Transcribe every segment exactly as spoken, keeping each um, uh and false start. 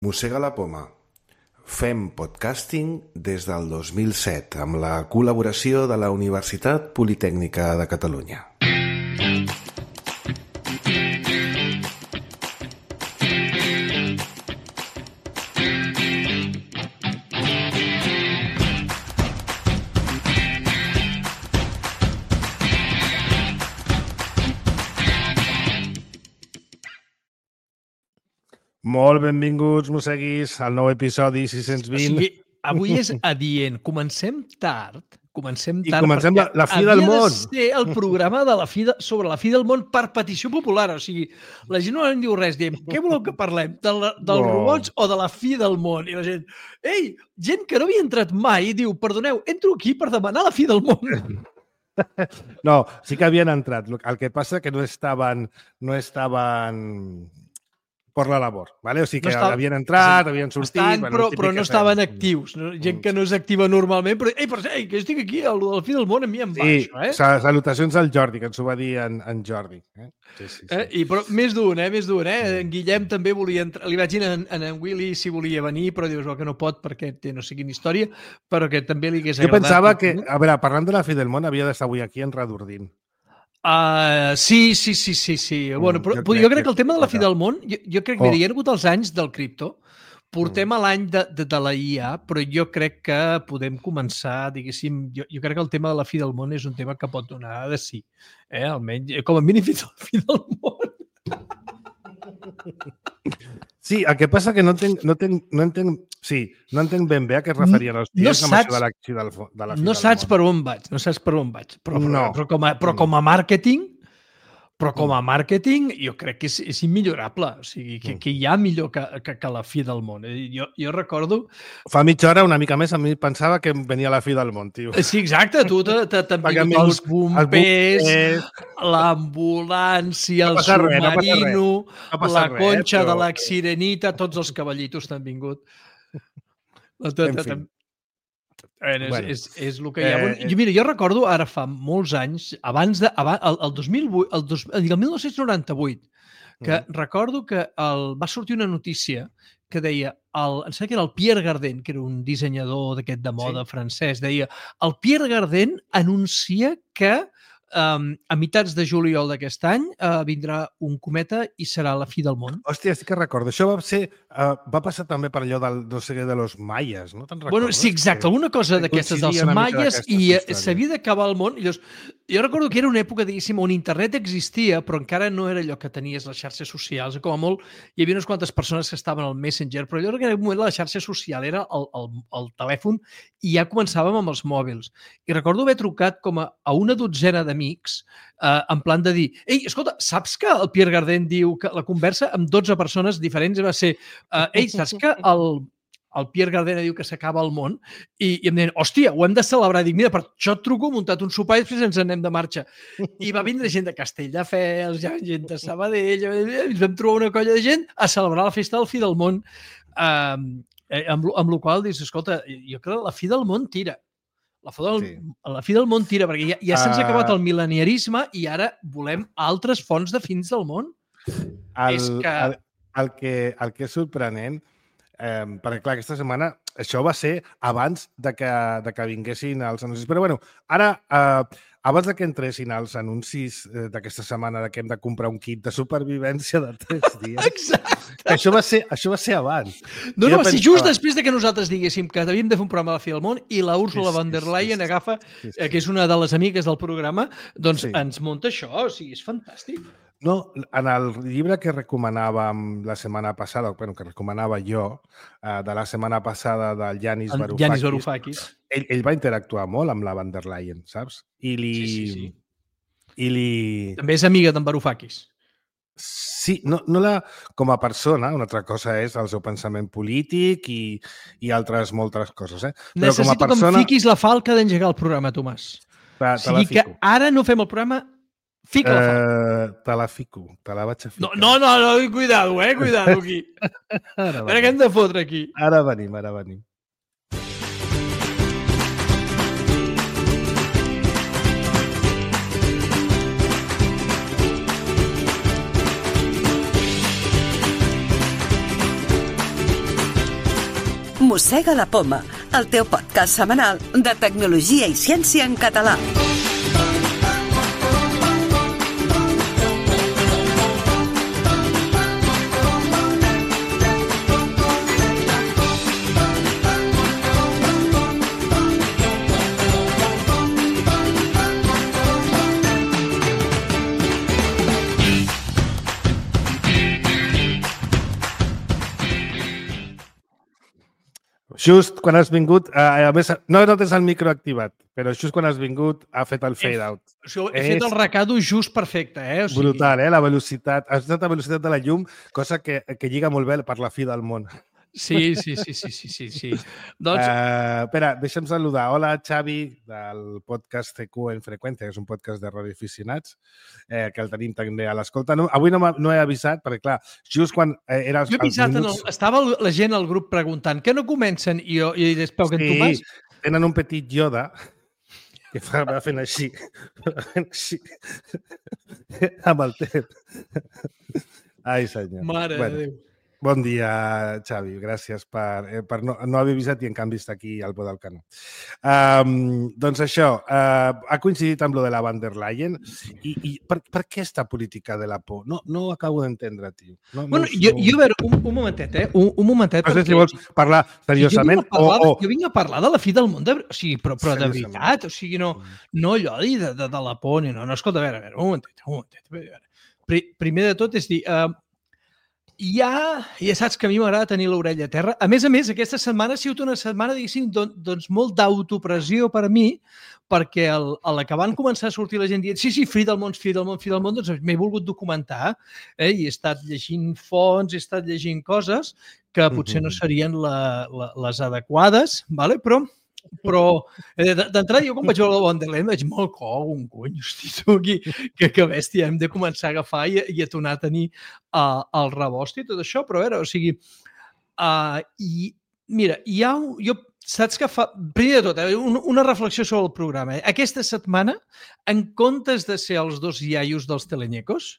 Mossega la poma. Fem podcasting des del dos mil set amb la col·laboració de la Universitat Politècnica de Catalunya. Molt benvinguts, mosseguis, al nou episodi sis-cents vint. O sigui, avui és adient. Comencem tard. Comencem tard. I comencem la, la fi del món. Havia de ser el programa de la fi de, sobre la fi del món per petició popular. O sigui, la gent no en diu res. Diem, què voleu que parlem? De la, dels No. robots o de la fi del món? I la gent, ei, gent que no havia entrat mai, diu, perdoneu, entro aquí per demanar la fi del món. No, sí que havien entrat. El que passa que no estaven... No estaven... per la labor, ¿vale? O sigui que No estava- havien entrat, havien sortit... Estan, bueno, però, el típic però no que estaven fem. actius. No? Gent que no és activa normalment, però, ei, però, ei, que estic aquí, a la fi del món, a mi em va Sí, això, eh? sa- salutacions al Jordi, que ens ho va dir en, en Jordi. Eh? Sí, sí, sí. Eh? I, però més d'un, eh? Més d'un, eh? En Guillem també volia entrar... Li vaig dir en, en, en Willy si volia venir, però dius oh, que no pot perquè té no sé quina història, però que també li hagués Jo agradat. pensava que, a veure, parlant de la fi del món, havia d'estar avui aquí en Redordint. Uh, sí, sí, sí, sí, sí. Mm, Bueno, però, jo jo, crec jo crec que- que el tema de la fi del món, jo, jo crec que Oh. mira, hi ha hagut els anys del cripto, portem a l'any de, de, de la I A, però jo crec que podem començar, diguéssim, jo, jo crec que el tema de la fi del món és un tema que pot donar de sí. Eh? Almenys, com a mínim fins a la fi del món. Sí, el que passa que no entenc, no entenc, no entenc, sí, no entenc ben bé a què es referien els No tios amb saps- això de la, de la, de la fi No del saps món. per on vaig, no saps per on vaig. Però, però, No. però, com, a, però com a màrqueting, però com a màrqueting jo crec que és, és immillorable. O sigui, que, que hi ha millor que, que, que la fi del món. Eh, Jo, jo recordo... Fa mitja hora, una mica més, a mi pensava que venia la fi del món, tio. Sí, exacte, tu te- te- t'han Perquè han vingut els vingut bombers, bombers. l'ambulància, No el passa res, no passa res. submarino, No passa la res, conxa però- de la sirenita, tots els cavallitos t'han vingut. La tot, En fi. Bueno, és, Bueno. és, és el que hi ha. Eh, Eh, jo, mira, jo recordo ara fa molts anys, abans de, abans, el, el dos mil vuit, el, dos, el dinou noranta-vuit, que Mm. recordo que el, va sortir una notícia que deia, el, em sembla que era el Pierre Gardin, que era un dissenyador d'aquest de moda Sí. francès, deia, el Pierre Gardin anuncia que um, a mitjans de juliol d'aquest any uh, vindrà un cometa i serà la fi del món. Hòstia, sí que recordo. Això va ser... Uh, va passar també per allò del, no sé què, de los maies, no te'n recordes? Bueno, sí, exacte, alguna cosa que d'aquestes dels coincidia una mica maies d'aquestes i eh, històries. s'havia d'acabar el món. I llavors, jo recordo que era una època, diguéssim, on internet existia, però encara no era allò que tenies les xarxes socials. Com a molt, hi havia unes quantes persones que estaven al Messenger, però jo crec que en aquell moment la xarxa social era el, el, el telèfon i ja començàvem amb els mòbils. I recordo haver trucat com a, a una dotzena d'amics eh, en plan de dir, ei, escolta, saps que el Pierre Gardin diu que la conversa amb dotze persones diferents va ser, eh, ei, saps que el, el Pierre Gardena diu que s'acaba el món i, i em deien, hòstia, ho hem de celebrar. Dic, mira, per això et truco, he muntat un sopar i després ens anem de marxa. I va vindre gent de Castelldefels, ja gent de Sabadell, i ens vam trobar una colla de gent a celebrar la festa del fi del món. Um, eh, amb, lo- amb la qual dius, escolta, jo crec que la fi del món tira. La fi del, Sí. la fi del món tira, perquè ja, ja se'ns ha Ah. acabat el mil·leniarisme i ara volem altres fonts de fins del món. El, és que- el, el, que, el que és sorprenent, eh, perquè clar, aquesta setmana això va ser abans de que, de que vinguessin els anuncis. Però bueno, ara, eh, abans de que entressin els anuncis eh, d'aquesta setmana de que hem de comprar un kit de supervivència de tres dies, Exacte. que això va ser, això va ser abans. No, Jo no, va ser pensava- just després de que nosaltres diguéssim que havíem de fer un programa a la fi del món i la Úrsula Sí, sí, von der sí, Leyen sí. agafa, Sí, sí. eh, que és una de les amigues del programa, doncs Sí. ens munta això, o sigui, és fantàstic. No, en el llibre que recomanàvem la setmana passada, bueno, que recomanava jo, eh, de la setmana passada del Yanis El Varoufakis, Yanis Varoufakis. ell, ell va interactuar molt amb la van der Leyen, saps? I li... Sí, sí, sí. I li... També és amiga d'en Varoufakis. Sí, no, no la, com a persona, una altra cosa és el seu pensament polític i, i altres moltes coses, eh? Però Necessito com a persona... que em fiquis la falca d'engegar el programa, Tomàs. Te, O te la sigui que fico. ara no fem el programa, fica la falca. Eh, te la fico, te la vaig a No, ficar. no, no, no, cuidado, eh, cuidado aquí. Ara A veure què hem venim, de fotre aquí. ara venim. Ara venim. Mossega la Poma, el teu podcast setmanal de tecnologia i ciència en català. Just quan has vingut, a més, no, no tens el micro activat, però just quan has vingut ha fet el fade out. O sigui, he fet el recado just perfecte, eh? O sigui... Brutal, eh? La velocitat. Has estat la velocitat de la llum, cosa que, que lliga molt bé per la fi del món. Sí, sí, sí, sí, sí, sí, sí. Doncs... Uh, espera, deixa'm saludar. Hola, Xavi, del podcast C Q en Freqüència, que és un podcast de radioaficionats, eh, que el tenim també a l'escolta. No, avui no, no he avisat, perquè, clar, just quan eh, era... Jo he avisat, minuts... el, estava la gent al grup preguntant que no comencen i jo i després que sí, en Tomàs... tenen un petit Yoda que fa, va fent així, va fent així, amb el temps. Ai, senyor. Mare bueno. de Déu. Bon dia, Xavi. Gràcies per, eh, per no, no haver avisat i en canvi està aquí al peu del canó. Um, doncs això, uh, ha coincidit amb lo de la van der Leyen i, i per, per què esta política de la por? No, no ho acabo d'entendre, tio. No, bueno, no, jo, no... jo, a veure, un, un momentet, eh? Un, un momentet. No sé perquè... si vols parlar seriosament jo parlar, o, o... Jo vinc a parlar de la fi del món, de... o sigui, però, però de veritat, o sigui, no, no allò de, de, de la por, no, no, escolta, a veure, a veure, un momentet, un momentet. A veure. Primer de tot és dir... Uh, Ja, ja saps que a mi m'agrada tenir l'orella a terra. A més a més, aquesta setmana ha sigut una setmana, diguéssim, doncs molt d'autopressió per a mi, perquè el, a la que van començar a sortir la gent dient sí, sí, fi del món, fi del món, fi del món, doncs m'he volgut documentar eh? I he estat llegint fonts, he estat llegint coses que potser no serien la, la, les adequades, vale? però... Però d'entrada jo quan vaig veure la van der Leyen vaig molt cog, un cony, hosti, tu aquí, que, que bèstia, hem de començar a agafar i, i a tornar a tenir uh, el rebost i tot això, però a veure, o sigui, uh, i mira, hi ha, jo, saps que fa, primer de tot, eh, una, una reflexió sobre el programa, eh? Aquesta setmana, en comptes de ser els dos iaios dels telenyecos,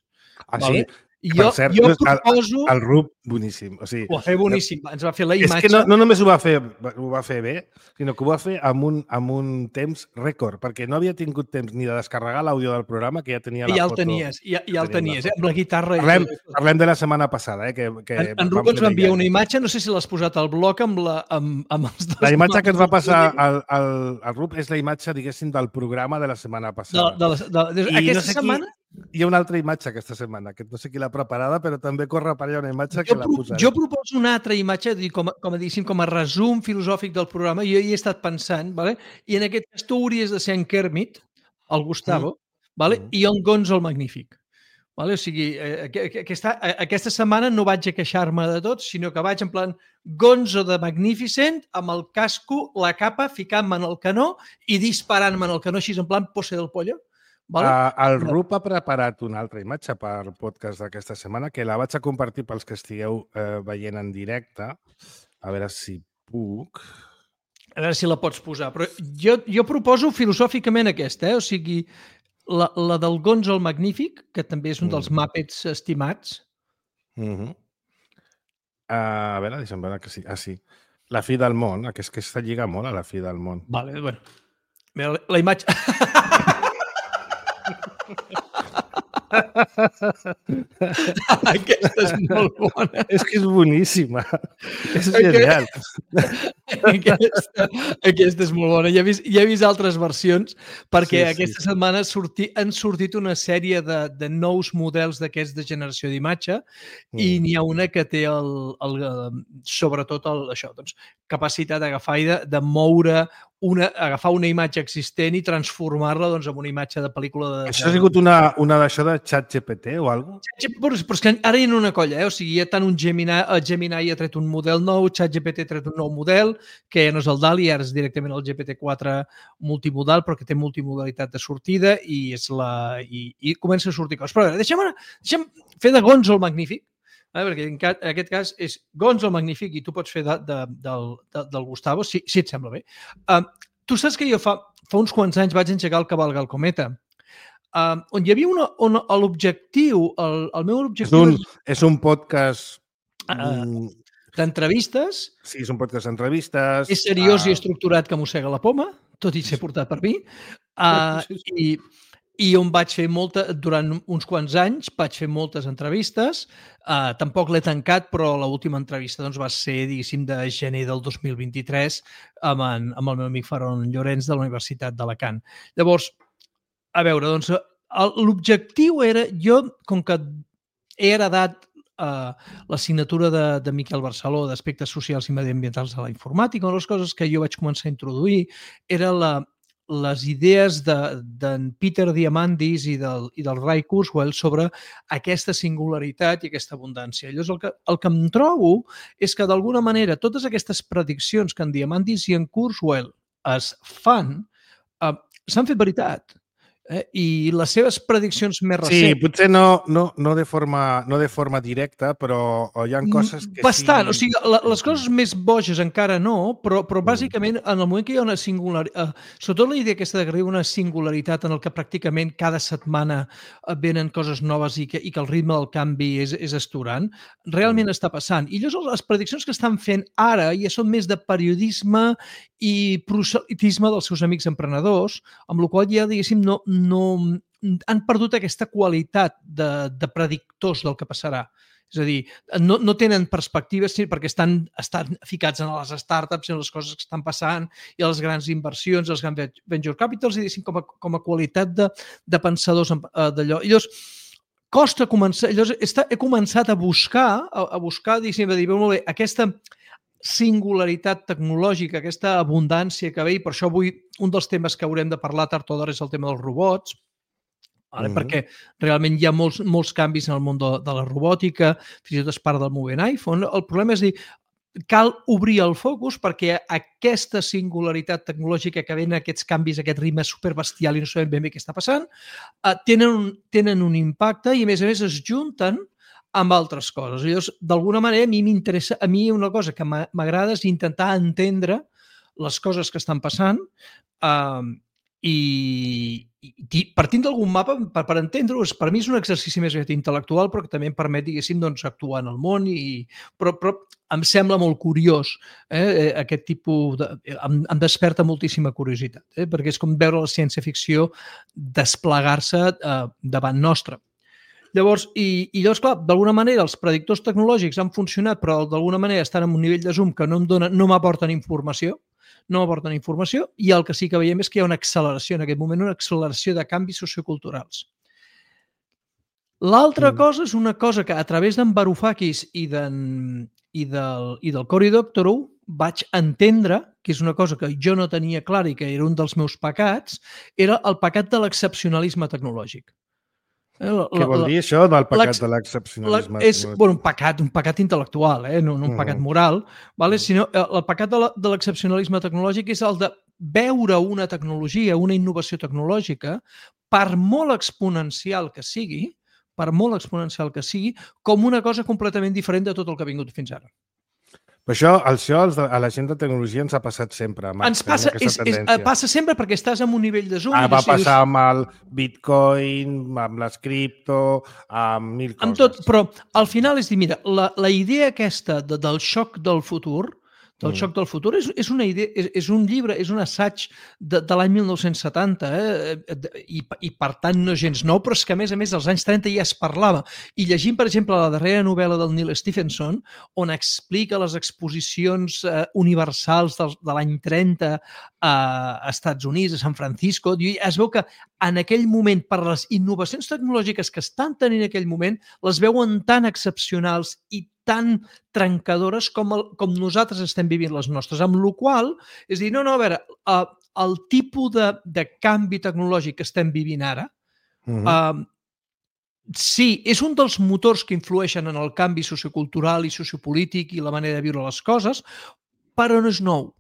ah, vale? Sí? Jo, cert, jo proposo... El, el Rup, boníssim. O sigui, ho va fer boníssim. Ens va fer la imatge... És que no, no només ho va fer, ho va fer bé, sinó que ho va fer amb un, amb un temps rècord, perquè no havia tingut temps ni de descarregar l'àudio del programa, que ja tenia la ja foto. El tenies, ja, ja el tenies, eh? Amb la guitarra... Parlem, parlem de la setmana passada. Eh? Que, que en en Rup ens va enviar una imatge, no sé si l'has posat al blog amb, la, amb, amb els dos... La imatge que ens va passar al, al, al Rup és la imatge, diguéssim, del programa de la setmana passada. De, de, de, de, aquesta no sé setmana... Qui... Hi ha una altra imatge aquesta setmana, que no sé qui l'ha preparada, però també corre per allà una imatge que jo, la posaré. Jo proposo una altra imatge, com, com a, diguéssim, com a resum filosòfic del programa. Jo hi he estat pensant, vale? I en aquest cas tu hauries de ser en Kermit, el Gustavo, mm. vale? Mm. I en Gonzo el Magnífic. Vale? O sigui, eh, aquesta, aquesta setmana no vaig a queixar-me de tot, sinó que vaig en plan Gonzo de Magnificent, amb el casco, la capa, ficant-me en el canó i disparant-me en el canó, així en plan pose del pollo. Vale? Uh, el Rup ha preparat una altra imatge per podcast d'aquesta setmana que la vaig a compartir pels que estigueu uh, veient en directe. A veure si puc... A veure si la pots posar. Però jo, jo proposo filosòficament aquesta, eh? O sigui, la, la del Gonzo el Magnífic, que també és un dels mm. Muppets estimats. Mm -hmm. uh, a veure, deixa'm veure que sí. Ah, sí. La fi del món, que és que està lliga molt a la fi del món. Vale, bueno. La, la imatge... Aquesta és molt bona. És que és boníssima. És genial. Aquesta, aquesta és molt bona. Ja he vist, ja he vist altres versions perquè sí, aquesta sí. setmana sorti, han sortit una sèrie de, de nous models d'aquests de generació d'imatge mm. i n'hi ha una que té el, el, sobretot el, això, doncs, capacitat d'agafar i de, de moure una, agafar una imatge existent i transformar-la doncs, en una imatge de pel·lícula. De... Això ha sigut una, una d'això de ChatGPT o alguna cosa? Però, però és que ara hi ha una colla, eh? O sigui, hi ha tant un Gemini, el Gemini ha tret un model nou, ChatGPT ha tret un nou model, que no és el D A L L-E, ara és directament el G P T quatre multimodal, però que té multimodalitat de sortida i, és la, i, i comença a sortir coses. Però a veure, deixa'm, deixa'm fer de Gonzo el Magnífic, eh? Perquè en, en aquest cas és Gonzo el Magnífic i tu pots fer de, de, del, de, del Gustavo, si, si et sembla bé. Uh, tu saps que jo fa, fa uns quants anys vaig engegar el Cavalga el Cometa, Uh, on hi havia una, on l'objectiu, el, el meu objectiu... És un, és un podcast uh, d'entrevistes. Sí, és un podcast d'entrevistes. És seriós uh... i estructurat que mossega la poma, tot i ser portat per mi. Uh, i, I on vaig fer molta, durant uns quants anys, vaig fer moltes entrevistes. Uh, tampoc l'he tancat, però l'última entrevista doncs, va ser, diguéssim, de gener del dos mil vint-i-tres amb, en, amb el meu amic Faron Llorenç de la Universitat d'Alacant. Llavors, a veure, doncs, l'objectiu era, jo, com que he heredat Uh, l'assignatura de, de Miquel Barceló d'aspectes socials i mediambientals de la informàtica, una de les coses que jo vaig començar a introduir era la, les idees d'en de, Peter Diamandis i del, i del Ray Kurzweil sobre aquesta singularitat i aquesta abundància. Llavors, el que, el que em trobo és que, d'alguna manera, totes aquestes prediccions que en Diamandis i en Kurzweil es fan uh, s'han fet veritat. Eh? I les seves prediccions més recents... Sí, potser no, no, no, de forma, no de forma directa, però hi ha coses que Bastant, sí... o sigui, la, les coses més boges encara no, però, però bàsicament en el moment que hi ha una singularitat, eh, sobretot la idea aquesta de que hi ha una singularitat en el que pràcticament cada setmana venen coses noves i que, i que el ritme del canvi és, és esturant, realment mm. està passant. I llavors les prediccions que estan fent ara ja són més de periodisme i proselitisme dels seus amics emprenedors, amb la qual ja, diguéssim, no, no han perdut aquesta qualitat de, de predictors del que passarà. És a dir, no, no tenen perspectives perquè estan, estan ficats en les startups, en les coses que estan passant i les grans inversions, els grans venture capitals, i com a, com a qualitat de, de pensadors d'allò. I llavors, costa començar... Llavors, he començat a buscar, a, a buscar, diguéssim, a dir, molt bé, aquesta singularitat tecnològica, aquesta abundància que ve, i per això avui un dels temes que haurem de parlar tard o d'hora és el tema dels robots, vale? Mm-hmm. Perquè realment hi ha molts, molts canvis en el món de, de la robòtica, fins i tot es parla del movent iPhone. El problema és dir, cal obrir el focus perquè aquesta singularitat tecnològica que ven aquests canvis, aquest ritme superbestial i no sabem ben bé què està passant, eh, tenen, un, tenen un impacte i a més a més es junten amb altres coses. Llavors, d'alguna manera, a mi m'interessa, a mi una cosa que m'agrada és intentar entendre les coses que estan passant eh, i, i partint d'algun mapa, per, per entendre-ho, per mi és un exercici més intel·lectual, però que també em permet, diguéssim, doncs, actuar en el món, i, però, però em sembla molt curiós, eh, aquest tipus de... Em, em desperta moltíssima curiositat, eh, perquè és com veure la ciència-ficció desplegar-se eh, davant nostre. Llavors, i, i llavors, clar, d'alguna manera els predictors tecnològics han funcionat, però d'alguna manera estan en un nivell de zoom que no em donen, no m'aporten informació, no m'aporten informació, i el que sí que veiem és que hi ha una acceleració en aquest moment, una acceleració de canvis socioculturals. L'altra mm. cosa és una cosa que a través d'en Varoufakis i, i, del, i del Cory Doctorow vaig entendre, que és una cosa que jo no tenia clara i que era un dels meus pecats, era el pecat de l'excepcionalisme tecnològic. La, Què vol la, dir això del pecat de l'excepcionalisme? És bueno, un pecat, un pecat intel·lectual, eh? no, no un pecat moral, vale? Sinó el pecat de l'excepcionalisme tecnològic és el de veure una tecnologia, una innovació tecnològica, per molt exponencial que sigui, per molt exponencial que sigui, com una cosa completament diferent de tot el que ha vingut fins ara. Però això, això a la gent de tecnologia ens ha passat sempre. Marc, ens passa, és, és, passa sempre perquè estàs en un nivell de zoom. Ah, va passar amb el Bitcoin, amb les cripto, amb mil coses. Amb tot, però al final és dir, mira, la, la idea aquesta de, del xoc del futur, del mm. xoc del futur, és, és una idea, és, és un llibre, és un assaig de, de l'any mil nou-cents setanta, eh? I, i per tant no gens nou, però és que a més a més als anys trenta ja es parlava. I llegint, per exemple, la darrera novel·la del Neil Stephenson, on explica les exposicions eh, universals del, de l'any trenta a Estats Units, a San Francisco, es veu que en aquell moment, per les innovacions tecnològiques que estan tenint en aquell moment, les veuen tan excepcionals i tan trencadores com, el, com nosaltres estem vivint les nostres, amb la qual cosa, és dir, no, no, a veure, uh, el tipus de, de canvi tecnològic que estem vivint ara, uh-huh. uh, sí, és un dels motors que influeixen en el canvi sociocultural i sociopolític i la manera de viure les coses, però no és nou.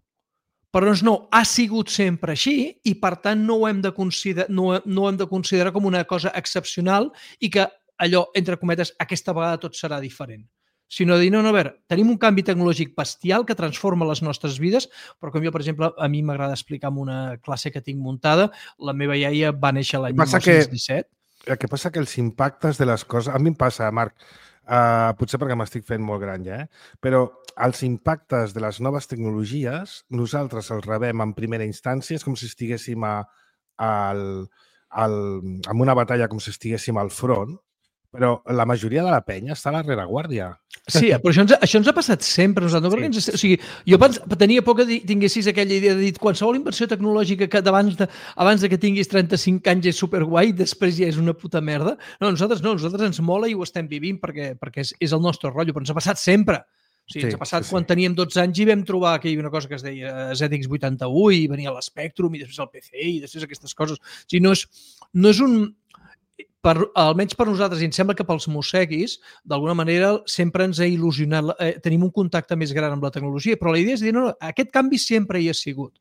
Però no és nou, ha sigut sempre així i, per tant, no ho hem de considerar, no, no ho hem de considerar com una cosa excepcional i que allò, entre cometes, aquesta vegada tot serà diferent. Sinó de dir, no, no, a veure, tenim un canvi tecnològic bestial que transforma les nostres vides, però com jo, per exemple, a mi m'agrada explicar en una classe que tinc muntada, la meva iaia va néixer l'any mil nou-cents disset. El que passa que els impactes de les coses... A mi em passa, Marc, Uh, potser perquè m'estic fent molt gran ja, eh? Però els impactes de les noves tecnologies nosaltres els rebem en primera instància, és com si estiguéssim a, al, al, en una batalla, com si estiguéssim al front, però la majoria de la penya està a la rereguàrdia. Sí, però això ens, això ens ha passat sempre. Nosaltres, sí. ens, o sigui, jo pens, tenia por que tinguessis aquella idea de dir qualsevol inversió tecnològica que abans de, abans de que tinguis trenta-cinc anys és superguai i després ja és una puta merda. No, nosaltres no, nosaltres ens mola i ho estem vivint perquè, perquè és, és el nostre rotllo, però ens ha passat sempre. O sigui, sí, ens ha passat sí, quan sí. teníem dotze anys i vam trobar que hi havia una cosa que es deia Z X vuitanta-u i venia l'Spectrum i després el P C i després aquestes coses. O sigui, no és, no és un... Per, almenys per nosaltres, i em sembla que pels mosseguis, d'alguna manera sempre ens ha il·lusionat, eh, tenim un contacte més gran amb la tecnologia, però la idea és dir, no, no, aquest canvi sempre hi ha sigut.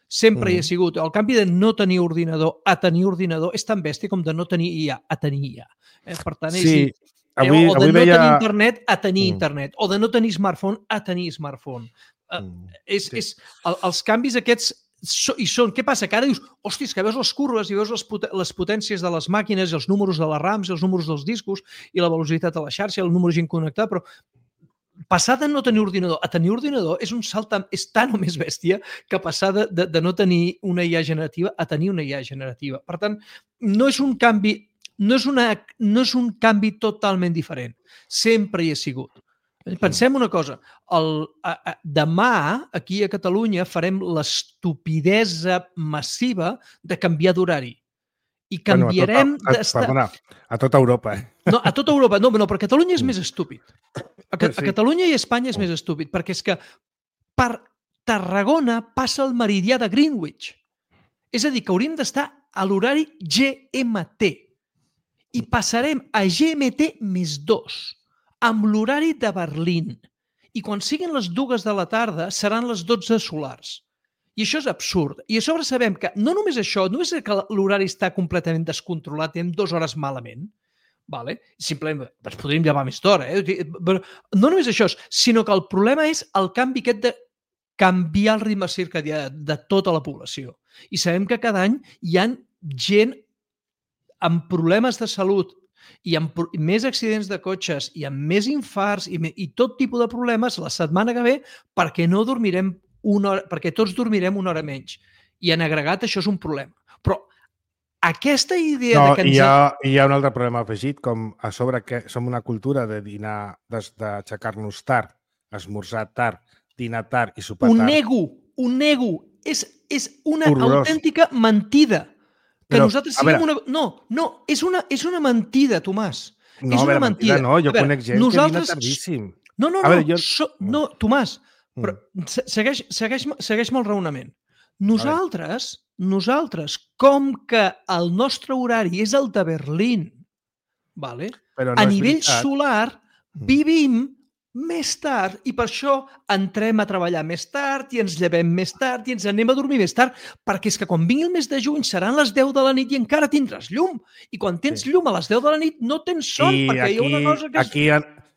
Sempre mm. hi ha sigut. El canvi de no tenir ordinador a tenir ordinador és tan bèstia com de no tenir I A a tenir I A. Eh? Per tant, és sí. dir, avui, o de avui no veia... tenir internet a tenir mm. internet, o de no tenir smartphone a tenir smartphone. Mm. Uh, és, sí. és, el, els canvis aquests So, i són, què passa? Que ara dius, hòstia, que veus les curves i veus les, pot les potències de les màquines, els números de les rams, els números dels discos i la velocitat de la xarxa, el número de gent connectada, però passar de no tenir ordinador a tenir ordinador és un salt és tan o més bèstia que passar de, de, de no tenir una I A generativa a tenir una I A generativa. Per tant, no és un canvi, no és, una, no és un canvi totalment diferent. Sempre hi ha sigut. Pensem una cosa, el, a, a, demà aquí a Catalunya farem l'estupidesa massiva de canviar d'horari. I canviarem... Bueno, a, tota, a, perdona, a tota Europa. Eh? No, a tota Europa. No, no, però Catalunya és més estúpid. A, a sí. Catalunya i Espanya és més estúpid, perquè és que per Tarragona passa el meridià de Greenwich. És a dir, que hauríem d'estar a l'horari G M T. I passarem a G M T més dos. Amb l'horari de Berlín. I quan siguin les dues de la tarda seran les dotze solars. I això és absurd. I a sobre sabem que no només això, no és que l'horari està completament descontrolat, tenim dues hores malament, vale? Simplement ens podríem llevar més d'hora. Eh? Però no només això, sinó que el problema és el canvi aquest de canviar el ritme circadià de tota la població. I sabem que cada any hi ha gent amb problemes de salut i amb més accidents de cotxes i amb més infarts i, i tot tipus de problemes la setmana que ve perquè no dormirem una hora, perquè tots dormirem una hora menys. I en agregat això és un problema. Però aquesta idea no, de que ens... Hi ha, hi ha un altre problema afegit, com a sobre que som una cultura de dinar, d'aixecar-nos tard, esmorzar tard, dinar tard i sopar tard. Un nego, un nego. És, és una Horrorós. Autèntica mentida. Que Però, nosaltres siguem una... No, no, és una, és una mentida, Tomàs. No, és una veure, mentida. No, jo veure, conec gent nosaltres... que dina tardíssim. No, no, no, veure, jo... so... no, Tomàs, però segueix, segueix, segueix-me el raonament. Nosaltres, nosaltres, com que el nostre horari és el de Berlín, vale? Però no a és nivell veritat. solar, vivim més tard i per això entrem a treballar més tard i ens llevem més tard i ens anem a dormir més tard, perquè és que quan vingui el mes de juny seran les deu de la nit i encara tindràs llum. I quan tens sí. llum a les deu de la nit no tens son, I perquè aquí, hi ha una cosa que... Aquí,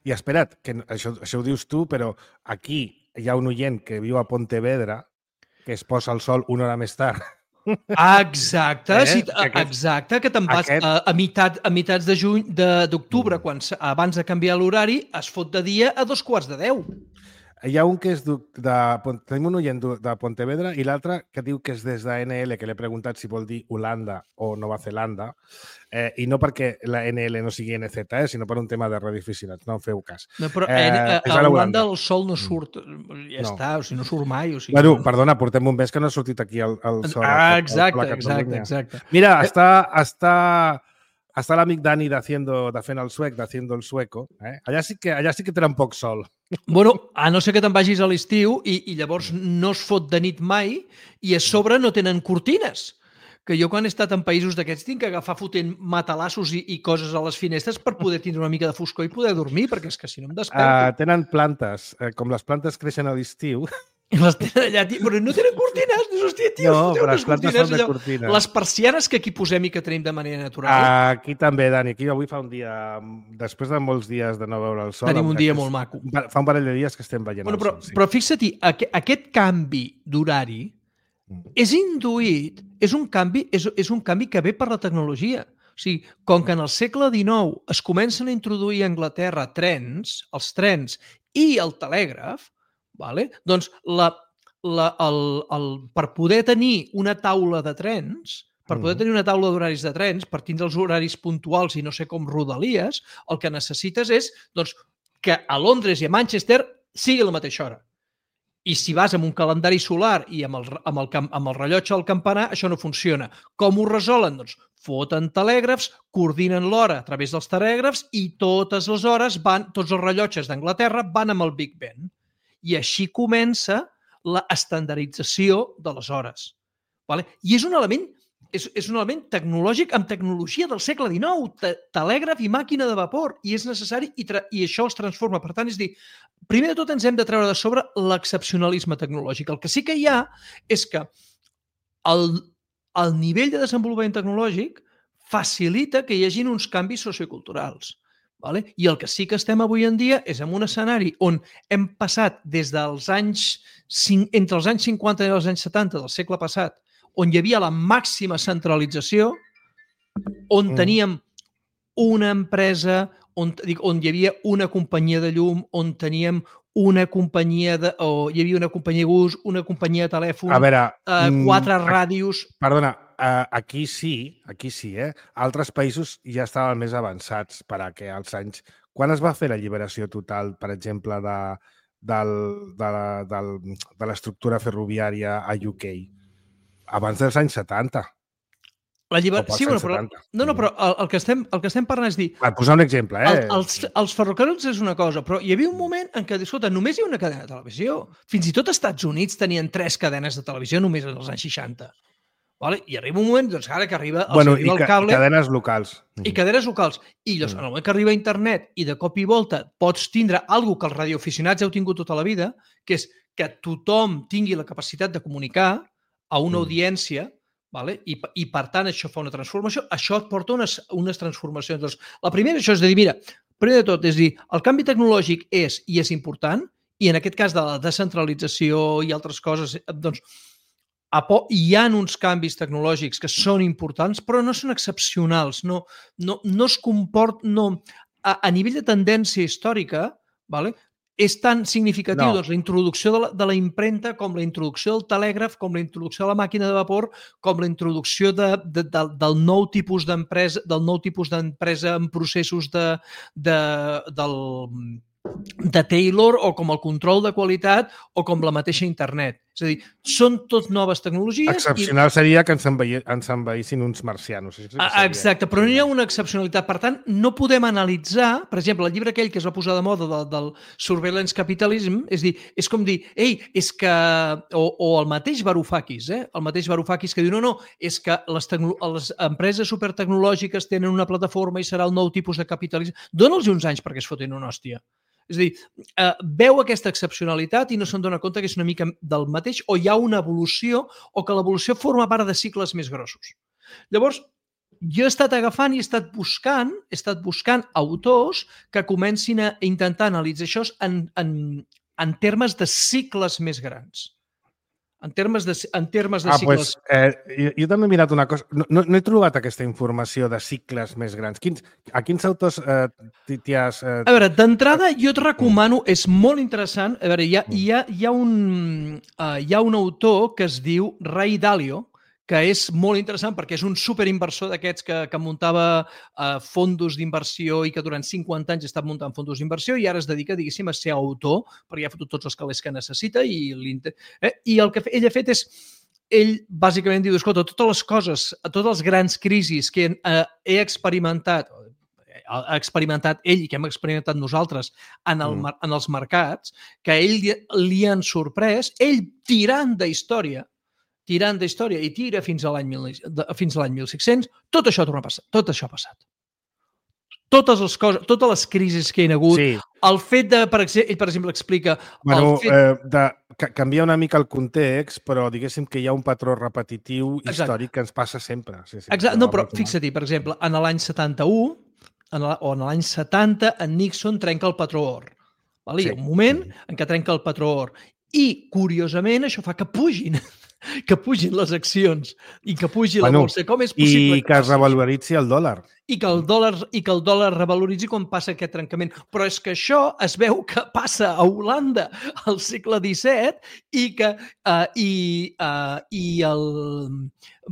i espera't, que això, això ho dius tu, però aquí hi ha un oient que viu a Pontevedra que es posa el sol una hora més tard. Exacte, eh? sí, aquest, exacte, que te'n vas aquest... a, a, mitat, a mitats de juny d'octubre, mm. quan abans de canviar l'horari, es fot de dia a dos quarts de deu. Hi ha un que és de... de tenim un oient de Pontevedra i l'altre que diu que és des de N L, que l'he preguntat si vol dir Holanda o Nova Zelanda, eh, i no perquè la N L no sigui N Z, eh, sinó per un tema de radioaficionats, no en feu cas. No, però eh, a, a Holanda el sol no surt, ja no. està, o sigui, no surt mai. O sigui, bueno, no... perdona, portem un mes que no ha sortit aquí el, el sol. Ah, exacte, el, el exacte, exacte. Mira, està... està... Està l'amic Dani de, haciendo, de fent el suec, de haciendo el sueco. Eh? Allà, sí que, allà sí que tenen poc sol. Bueno, a no ser que te'n vagis a l'estiu i, i llavors no es fot de nit mai i a sobre no tenen cortines. Que jo quan he estat en països d'aquests tinc que agafar fotent matalassos i, i coses a les finestres per poder tindre una mica de foscor i poder dormir, perquè és que si no em desperto... Uh, tenen plantes. Uh, com les plantes creixen a l'estiu... I les tenen allà, tio, però no tenen cortines. Hòstia, tio, no, però les plantes són de allò, cortines. Les persianes que aquí posem i que tenim de manera natural. Uh, aquí també, Dani. Aquí avui fa un dia, després de molts dies de no veure el sol... Tenim un dia molt maco. Fa un parell de dies que estem veient bueno, el però, sol. Sí. Però fixa't, aquest canvi d'horari és induït, és un canvi, és, és un canvi que ve per la tecnologia. O O sigui, com que en el segle dinou es comencen a introduir a Anglaterra trens, els trens i el telègraf, vale? Doncs la, la, el, el, per poder tenir una taula de trens, per poder tenir una taula d'horaris de trens, per tindre els horaris puntuals i no sé com rodalies, el que necessites és doncs, que a Londres i a Manchester sigui la mateixa hora. I si vas amb un calendari solar i amb el, amb el, amb el rellotge al campanar, això no funciona. Com ho resolen? Doncs foten telègrafs, coordinen l'hora a través dels telègrafs i totes les hores van, tots els rellotges d'Anglaterra van amb el Big Ben. I així comença la estandardització de les hores. Vale? I és un element És, és un element tecnològic amb tecnologia del segle dinou, te, telègraf i màquina de vapor, i és necessari i, tra i això els transforma. Per tant, és dir, primer de tot ens hem de treure de sobre l'excepcionalisme tecnològic. El que sí que hi ha és que el, el nivell de desenvolupament tecnològic facilita que hi hagin uns canvis socioculturals. Vale? I el que sí que estem avui en dia és en un escenari on hem passat des dels anys, entre els anys cinquanta i els anys setanta del segle passat, on hi havia la màxima centralització, on mm. teníem una empresa, on, dic, on hi havia una companyia de llum, on teníem una companyia de... o hi havia una companyia de bus, una companyia de telèfon, a veure, eh, quatre mm, ràdios... Perdona, uh, aquí sí, aquí sí, eh? Altres països ja estaven més avançats per a que als anys... Quan es va fer l'alliberació total, per exemple, de, del, de, la, del, de l'estructura ferroviària a U K? Abans dels anys setanta. La lliber... Sí, bueno, però, no, no, però el, el, que estem, el que estem parlant és dir... Per posar un exemple, eh? El, els, els ferrocarrils és una cosa, però hi havia un moment en què, escolta, només hi ha una cadena de televisió. Fins i tot als Estats Units tenien tres cadenes de televisió només en els anys seixanta. Vale? I arriba un moment, doncs ara que arriba, bueno, arriba i el cable... I cadenes locals. I cadenes locals. I llavors, en el moment que arriba internet i de cop i volta pots tindre alguna que els radioaficionats heu tingut tota la vida, que és que tothom tingui la capacitat de comunicar a una mm. audiència, vale? I, i per tant això fa una transformació, això et porta unes, unes transformacions. Doncs, la primera això és de dir, mira, primer de tot, és dir, el canvi tecnològic és i és important, i en aquest cas de la descentralització i altres coses, doncs, hi ha uns canvis tecnològics que són importants, però no són excepcionals, no, no, no es comport, no, a, a nivell de tendència històrica, vale? És tan significatiu no. doncs, la introducció de la, de la impremta com la introducció del telègraf, com la introducció de la màquina de vapor, com la introducció de, de, de, del nou tipus d'empresa, del nou tipus d'empresa en processos de, de, del, de Taylor, o com el control de qualitat, o com la mateixa internet. És a dir, són tot noves tecnologies... Excepcional i... seria que ens, envaï... ens envaïssin uns marcianos. Això sí que seria... Exacte, però no hi ha una excepcionalitat. Per tant, no podem analitzar, per exemple, el llibre aquell que es va posar de moda del, del Surveillance Capitalism, és dir, és com dir, ei, és que... O, o el mateix Varoufakis, eh? El mateix Varoufakis que diu, no, no, és que les, tecno... les empreses supertecnològiques tenen una plataforma i serà el nou tipus de capitalisme. Dóna'ls uns anys perquè es fotin una hòstia. És a dir, eh, veu aquesta excepcionalitat i no se'n dona compte que és una mica del mateix, o hi ha una evolució, o que l'evolució forma part de cicles més grossos. Llavors, jo he estat agafant i he estat buscant, he estat buscant autors que comencin a intentar analitzar això en, en, en termes de cicles més grans. En termes de, en termes de ah, cicles... Pues, eh, jo, jo també he mirat una cosa. No, no, no he trobat aquesta informació de cicles més grans. Quins, a quins autors eh, t'hi has... Eh... A veure, d'entrada jo et recomano, és molt interessant, a veure, hi ha, hi ha, hi ha, un, uh, hi ha un autor que es diu Ray Dalio, que és molt interessant perquè és un superinversor d'aquests que, que muntava uh, fondos d'inversió i que durant cinquanta anys ha estat muntant fondos d'inversió i ara es dedica, diguéssim, a ser autor perquè ha fotut tots els calés que necessita i, eh? I el que ell ha fet és, ell bàsicament diu, escolta, totes les coses, totes les grans crisis que uh, he experimentat, ha experimentat ell i que hem experimentat nosaltres en, el, mm. en els mercats, que a ell li, li han sorprès, ell tirant d'història, tirant d'història i tira fins a l'any mil cinc-cents, tot això torna a passar, tot això ha passat. Totes les coses, totes les crisis que hi ha hagut, sí. El fet de, per exemple, ell per exemple explica... Bueno, el fet... eh, de canviar una mica el context, però diguéssim que hi ha un patró repetitiu Exacte. Històric que ens passa sempre. Sí, sí, Exacte. No, però fixa-t'hi, per exemple, en l'any setanta-u, en la, o en l'any setanta, en Nixon trenca el patró or. Val? Sí. Hi ha un moment en què trenca el patró or. I, curiosament, això fa que pugin que pugin les accions i que pugi Bueno, la bolsa. Com és possible I que es revaloritzi el dòlar. i que el dòlar i que el dòlar revaloritzi quan passa aquest trencament. Però és que això es veu que passa a Holanda al segle disset i que uh, i, uh, i el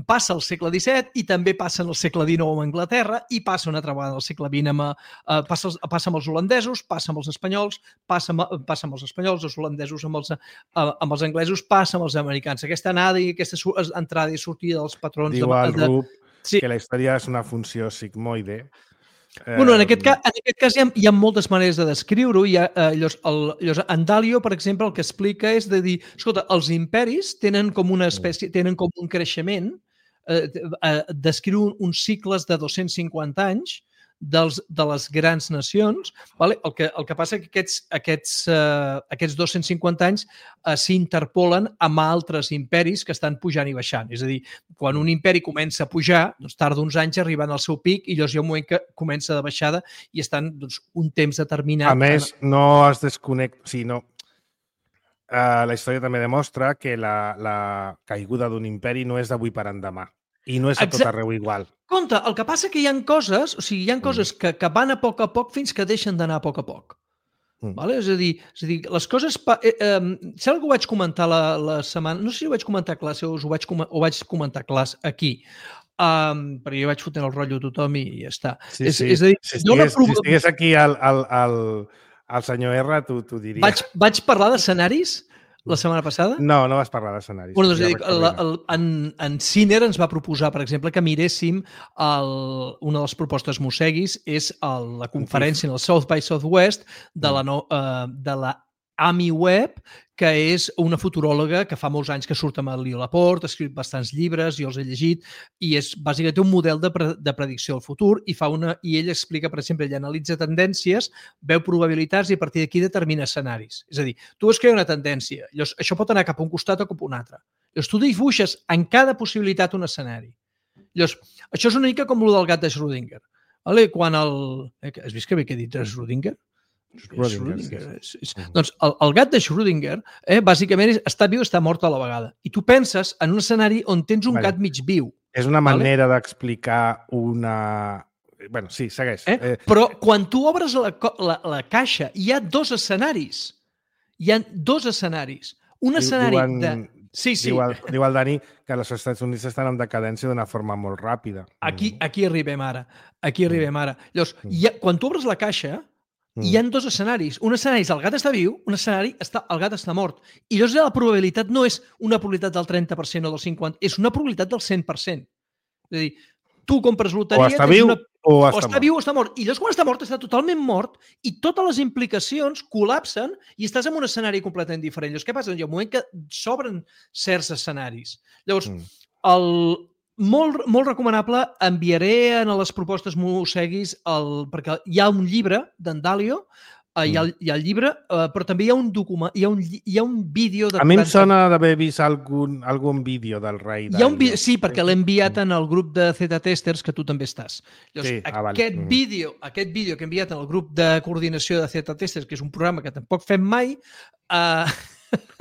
passa al segle disset i també passa en el segle dinou amb Anglaterra i passa una altra vegada al segle vint amb, uh, passa, passa amb els holandesos, passa amb els espanyols, passa amb, passa amb els espanyols, els holandesos amb els, uh, amb els anglesos, passa amb els americans. Aquesta anada i aquesta entrada i sortida dels patrons... Diu de, el de, Rup sí. que la història és una funció sigmoide. Bueno, en aquest cas, en aquest cas hi, ha, hi ha moltes maneres de descriure-ho. Hi ha, eh, llavors, el, llavors, en Dalio, per exemple, el que explica és de dir, escolta, els imperis tenen com una espècie, tenen com un creixement, eh, eh, descriu uns cicles de dos-cents cinquanta anys dels, de les grans nacions. Vale? El, que, el que passa és que aquests, aquests, eh, aquests dos-cents cinquanta anys eh, s'interpolen amb altres imperis que estan pujant i baixant. És a dir, quan un imperi comença a pujar, doncs tarda uns anys arribant al seu pic i llavors hi ha un moment que comença de baixada i estan doncs, un temps determinat. A més, no es desconnecta... Sí, no. Uh, la història també demostra que la, la caiguda d'un imperi no és d'avui per demà i no és a tot arreu igual. Compte, el que passa que hi ha coses, o sigui, hi ha coses que, que van a poc a poc fins que deixen d'anar a poc a poc. Mm. Vale? És a dir, és a dir, les coses... Eh, eh, sembla que ho vaig comentar la, la setmana... No sé si ho vaig comentar a classe o us ho vaig, ho vaig comentar a classe aquí. Um, perquè jo vaig fotent el rotllo a tothom i ja està. Sí, és, sí. És a dir, si, estigués, prob... si estigués aquí el, el, el, el senyor R, t'ho diria. Vaig, vaig parlar d'escenaris la setmana passada? No, no vas parlar d'escenaris. Bueno, doncs, ja dic, el, el, en, en Ciner ens va proposar, per exemple, que miréssim el, una de les propostes Mosseguis és el, la conferència en el South by Southwest de la, no, uh, de la Amy Webb, que és una futuròloga que fa molts anys que surt amb el Leo Laporte, ha escrit bastants llibres, jo els he llegit, i és bàsicament un model de, pre de predicció del futur i, fa una, i ell explica, per exemple, ell analitza tendències, veu probabilitats i a partir d'aquí determina escenaris. És a dir, tu veus que hi ha una tendència, llavors això pot anar cap a un costat o cap a un altre. Llavors tu dibuixes en cada possibilitat un escenari. Llavors, això és una mica com el del gat de Schrödinger. Vale? Quan el... Eh, has vist que bé que he dit Schrödinger? Schrödinger. Schrödinger. Sí, sí. Doncs el, el gat de Schrödinger eh, bàsicament és, està viu i està mort a la vegada. I tu penses en un escenari on tens un vale. gat mig viu. És una manera vale? d'explicar una... Bueno, sí, segueix. Eh? Eh... Però quan tu obres la, la, la caixa hi ha dos escenaris. Hi ha dos escenaris. Un escenari diuen, de... Sí, sí. Diu el, diu el Dani que els Estats Units estan en decadència d'una forma molt ràpida. Aquí, aquí arribem ara. Aquí arribem ara. Llavors, ha, quan tu obres la caixa, hi ha dos escenaris. Un escenari és el gat està viu, un escenari està, el gat està mort. I llavors la probabilitat no és una probabilitat del trenta per cent o del cinquanta per cent, és una probabilitat del cent per cent. És a dir, tu compres loteria... O està viu una... o està, o està mort. viu o està mort. I llavors quan està mort està totalment mort i totes les implicacions col·lapsen i estàs en un escenari completament diferent. Llavors què passa? Hi ha un moment que s'obren certs escenaris. Llavors, mm. el... Molt, molt recomanable, enviaré a les propostes Mosseguis el, perquè hi ha un llibre d'en Dalio, eh, hi, ha, hi ha el llibre, eh, però també hi ha un document, hi ha un, hi ha un vídeo... De a mi em sona d'haver vist algun, algun vídeo del rei Dalio. Hi ha un vídeo, sí, perquè l'he enviat en el grup de Z-Testers, que tu també estàs. Llavors, sí, ah, aquest, vale. vídeo, aquest vídeo que he enviat en el grup de coordinació de Z-Testers, que és un programa que tampoc fem mai, eh,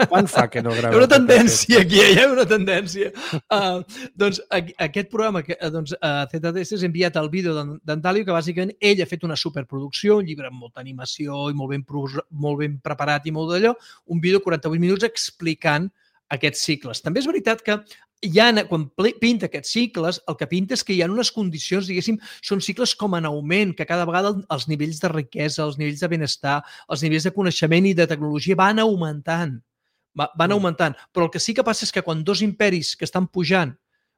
quan fa que no gravem? Hi ha una tendència aquí, hi ha una tendència. Uh, doncs aquest programa, doncs, uh, Z-Testers, ha enviat el vídeo d'en Dalio, que bàsicament ell ha fet una superproducció, un llibre amb molta animació i molt ben, molt ben preparat i molt d'allò, un vídeo de quaranta-vuit minuts explicant aquests cicles. També és veritat que hi ha, quan pinta aquests cicles, el que pinta és que hi ha unes condicions, diguéssim, són cicles com en augment, que cada vegada els nivells de riquesa, els nivells de benestar, els nivells de coneixement i de tecnologia van augmentant. Van augmentant. Però el que sí que passa és que quan dos imperis que estan pujant,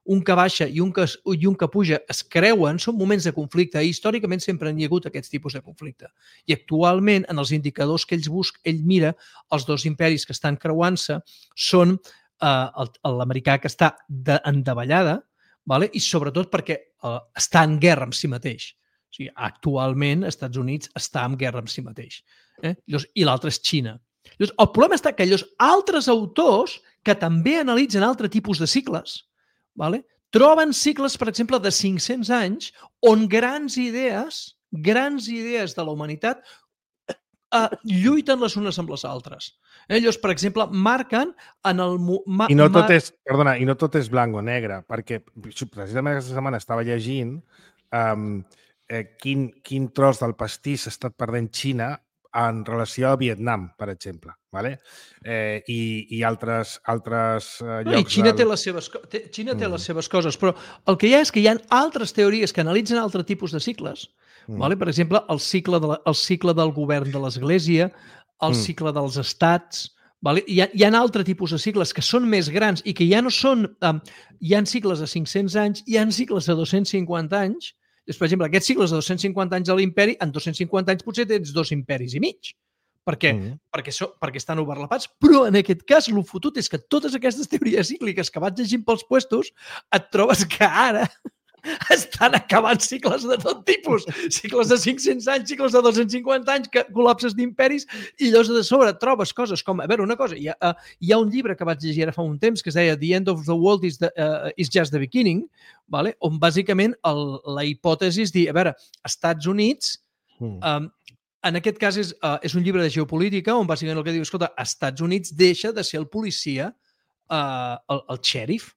un que baixa i un que, i un que puja, es creuen, són moments de conflicte. I històricament sempre hi ha hagut aquests tipus de conflicte. I actualment, en els indicadors que ells busca, ell mira, els dos imperis que estan creuant-se són uh, l'americà que està de, en davallada, vale? I sobretot perquè uh, està en guerra amb si mateix. O sigui, actualment, els Estats Units està en guerra amb si mateix. Eh? I l'altre és Xina. Llavors, el problema està que llavors, altres autors que també analitzen altres tipus de cicles, vale? Troben cicles, per exemple, de cinc-cents anys on grans idees, grans idees de la humanitat eh, lluiten les unes amb les altres. Eh? Llavors, per exemple, marquen en el... Ma, I no tot ma... és, perdona, i no tot és blanc o negre, perquè precisament aquesta setmana estava llegint um, eh, quin, quin tros del pastís s'ha estat perdent Xina en relació a Vietnam, per exemple, vale? eh, i, i altres, altres eh, No, i llocs... Xina, del... té les seves, té, Xina té Mm. les seves coses, però el que hi ha és que hi ha altres teories que analitzen altres tipus de cicles. Mm. Vale? Per exemple, el cicle, de la, el cicle del govern de l'Església, el Mm. cicle dels estats... Vale? Hi, ha, hi ha altres tipus de cicles que són més grans i que ja no són... Um, hi ha cicles de cinc-cents anys, hi ha cicles de dos-cents cinquanta anys. Per exemple, aquests cicles de dos-cents cinquanta anys a l'imperi, en dos-cents cinquanta anys potser tens dos imperis i mig. Per què? Mm. Perquè, so, perquè estan overlapats. Però en aquest cas, el fotut és que totes aquestes teories cícliques que vaig llegint pels puestos, et trobes que ara estan acabant cicles de tot tipus. Cicles de cinc-cents anys, cicles de dos-cents cinquanta anys, que, col·lapses d'imperis, i llavors de sobre trobes coses com... A veure, una cosa, hi ha, uh, hi ha un llibre que vaig llegir ara fa un temps que es deia The End of the World is, the, uh, is just the beginning, vale? On bàsicament el, la hipòtesi és dir, a veure, Estats Units... Mm. Um, en aquest cas és, uh, és un llibre de geopolítica on bàsicament el que diu, escolta, Estats Units deixa de ser el policia, uh, el, el xèrif,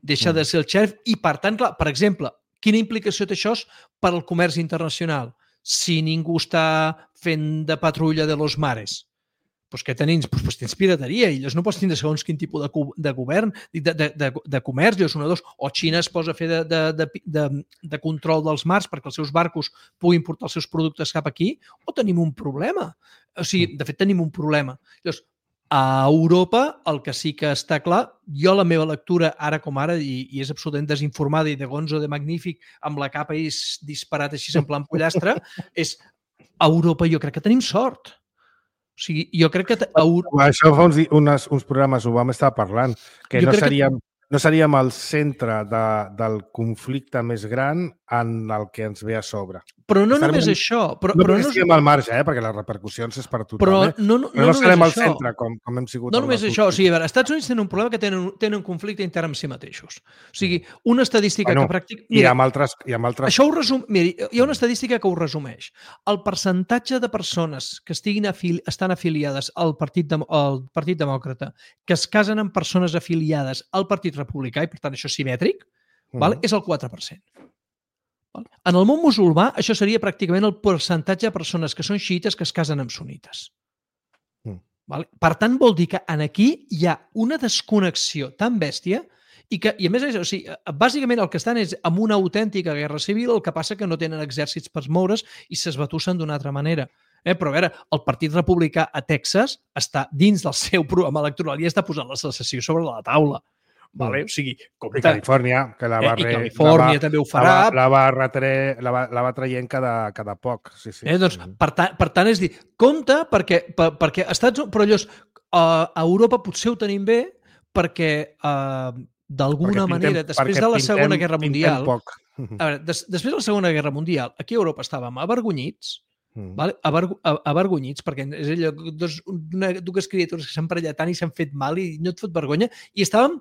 deixa mm. de ser el xèrif i, per tant, clar, per exemple, quina implicació té això per al comerç internacional? Si ningú està fent de patrulla de los mares, doncs què tenim? Doncs, doncs tens pirateria i llavors no pots tindre segons quin tipus de, de govern, de, de, de, de comerç, llavors una, dos, o Xina es posa a fer de, de, de, de, de control dels mars perquè els seus barcos puguin portar els seus productes cap aquí, o tenim un problema. O sigui, de fet, tenim un problema. Llavors, a Europa, el que sí que està clar, jo la meva lectura, ara com ara, i, i és absolutament desinformada i de gonzo de magnífic, amb la capa i disparat així en plan pollastre, és a Europa jo crec que tenim sort. O sigui, jo crec que... A... Això fa uns, unes, uns programes ho vam estar parlant, que jo no seríem, que... no seríem el centre de, del conflicte més gran en el que ens ve a sobre. Però no Estarem només en... això. Però, no però perquè no estiguem al marge, eh? Perquè les repercussions és per tothom. Però eh? no, no, però no, no serem al això. centre, com, com hem sigut. No només això. O sigui, a veure, els Estats Units tenen un problema que tenen, tenen un conflicte intern amb si mateixos. O sigui, una estadística bueno, que pràcticament... I amb altres... I amb altres... Això ho resum... Mira, hi ha una estadística que ho resumeix. El percentatge de persones que estiguin afili... estan afiliades al Partit, Dem... al Partit Demòcrata, que es casen amb persones afiliades al Partit Republicà, i per tant això és simètric, mm. val? És el quatre per cent. En el món musulmà, això seria pràcticament el percentatge de persones que són xiites que es casen amb sunites. Mm. Vale? Per tant, vol dir que en aquí hi ha una desconnexió tan bèstia i que, i a més, o sigui, bàsicament el que estan és amb una autèntica guerra civil, el que passa que no tenen exèrcits per moure's i s'esbatussen d'una altra manera. Eh? Però a veure, el Partit Republicà a Texas està dins del seu programa electoral i està posant la secessió sobre la taula. Vale? O sigui, I Califòrnia, que la va, eh, i Califòrnia la va, també ho farà. La va, la va, retre, la va, la va traient cada, cada poc. Sí, sí. Eh, doncs, per, ta, per tant, és dir, compte, perquè, per, perquè Estats Units, però llavors, uh, a Europa potser ho tenim bé perquè uh, d'alguna manera, després de la Segona Guerra Mundial, poc. a veure, des, després de la Segona Guerra Mundial, aquí a Europa estàvem avergonyits, Mm. Vale? Averg avergonyits, perquè és allò, dos, una, dues criatures que s'han parellat tant i s'han fet mal i no et fot vergonya, i estàvem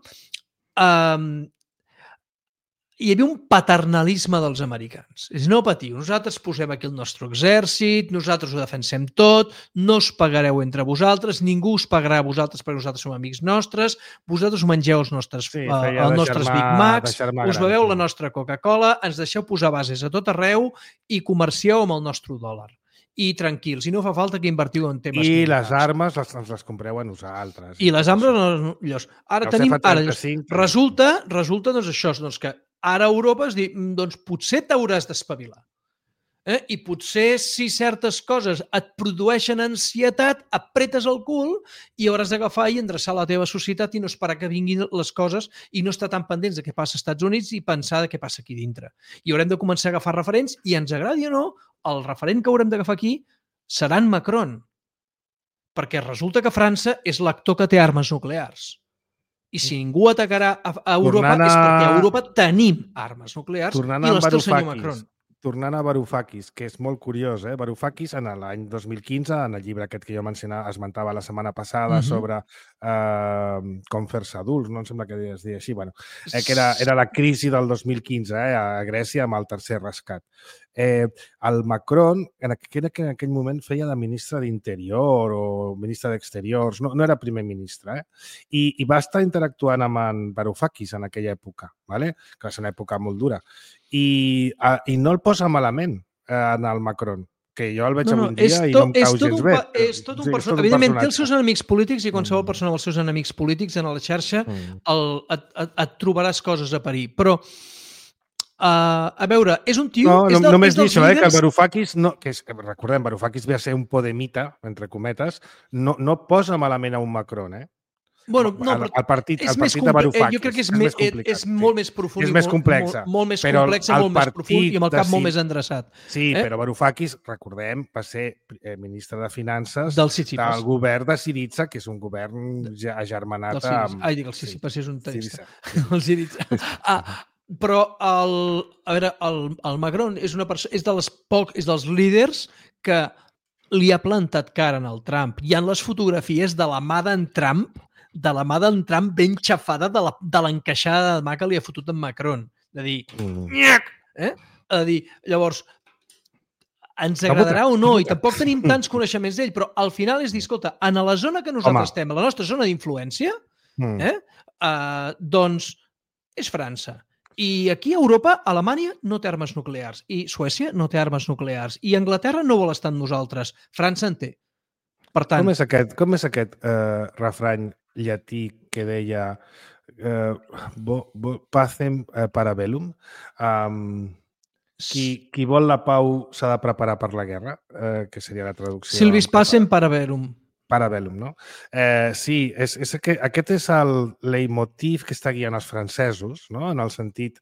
um, hi havia un paternalisme dels americans. És no patiu, nosaltres posem aquí el nostre exèrcit, nosaltres ho defensem tot, no us pagareu entre vosaltres, ningú us pagarà a vosaltres perquè nosaltres som amics nostres, vosaltres us mengeu els nostres, sí, uh, els nostres Big Macs, us beveu la nostra Coca-Cola, ens deixeu posar bases a tot arreu i comercieu amb el nostre dòlar. I tranquils, si no fa falta que invertiu en temes I militars. les armes les, ens les compreu a nosaltres. I les armes, no, llavors, ara el tenim... Ara, llavors, resulta, resulta doncs, això, doncs, que ara a Europa es diu, doncs potser t'hauràs d'espavilar. Eh? I potser si certes coses et produeixen ansietat, apretes el cul i hauràs d'agafar i endreçar la teva societat i no esperar que vinguin les coses i no estar tan pendents de què passa als Estats Units i pensar de què passa aquí dintre. I haurem de començar a agafar referents i ens agradi o no, el referent que haurem d'agafar aquí serà en Macron. Perquè resulta que França és l'actor que té armes nuclears. I si ningú atacarà a, a Europa a... és perquè a Europa tenim armes nuclears i les té el senyor Macron. tornant a Varoufakis, que és molt curiós, eh? Varoufakis, en l'any dos mil quinze, en el llibre aquest que jo mencionava, esmentava la setmana passada, uh -huh. sobre eh, com fer-se adults, no em sembla que es deia així, bueno, eh, que era, era la crisi del dos mil quinze eh, a Grècia amb el tercer rescat. Eh, el Macron, en aquell, en aquell moment, feia de ministre d'Interior o ministre d'Exteriors, no, no era primer ministre, eh? I, i va estar interactuant amb en Varoufakis en aquella època, ¿vale? Que va ser una època molt dura. I, a, i no el posa malament eh, en el Macron, que jo el veig no, no, avui dia i no em cau gens bé. És tot un sí, personatge. Evidentment, té els seus enemics polítics i qualsevol mm. persona amb els seus enemics polítics en la xarxa mm. el, et, et, et trobaràs coses a parir. Però Uh, a veure, és un tio... No, és no del, només és dir això, líders... eh, que el Varoufakis, no, que és, recordem, Varoufakis ve a ser un podemita, entre cometes, no, no posa malament a un Macron, eh? Bueno, no, el, el partit, el partit de Jo Varoufakis. crec que és, és, més, més complicat, és molt més profund. És més complex. Molt, molt més complex, molt més profund i amb el cap de... molt més endreçat. Sí, eh? però Varoufakis, recordem, va ser eh, ministre de Finances del, del govern de Syriza, que és un govern ja agermanat amb... Ai, dic, el Sissipas és un tenista. El Syriza. Ah, però el, a veure, el, el Macron és, una persona, és, de les poc, és dels líders que li ha plantat cara en el Trump. Hi ha les fotografies de la mà d'en Trump, de la mà d'en Trump ben xafada de l'encaixada de mà que li ha fotut en Macron. De dir, mm. eh? De dir, llavors, ens agradarà o no, i tampoc tenim tants coneixements d'ell, però al final és dir, escolta, en la zona que nosaltres Home. estem, a la nostra zona d'influència, mm. eh? Uh, doncs és França. I aquí a Europa, Alemanya no té armes nuclears, i Suècia no té armes nuclears, i Anglaterra no vol estar amb nosaltres. França en té. Per tant... Com és aquest, com és aquest eh, refrany llatí que deia eh, bo, bo, pacem eh, para bellum? Um, qui, qui vol la pau s'ha de preparar per la guerra, eh, que seria la traducció. Silvis pacem para bellum. Parabellum, no? Eh, sí, és, és que, aquest és el leitmotiv que està guiant els francesos, no? En el sentit...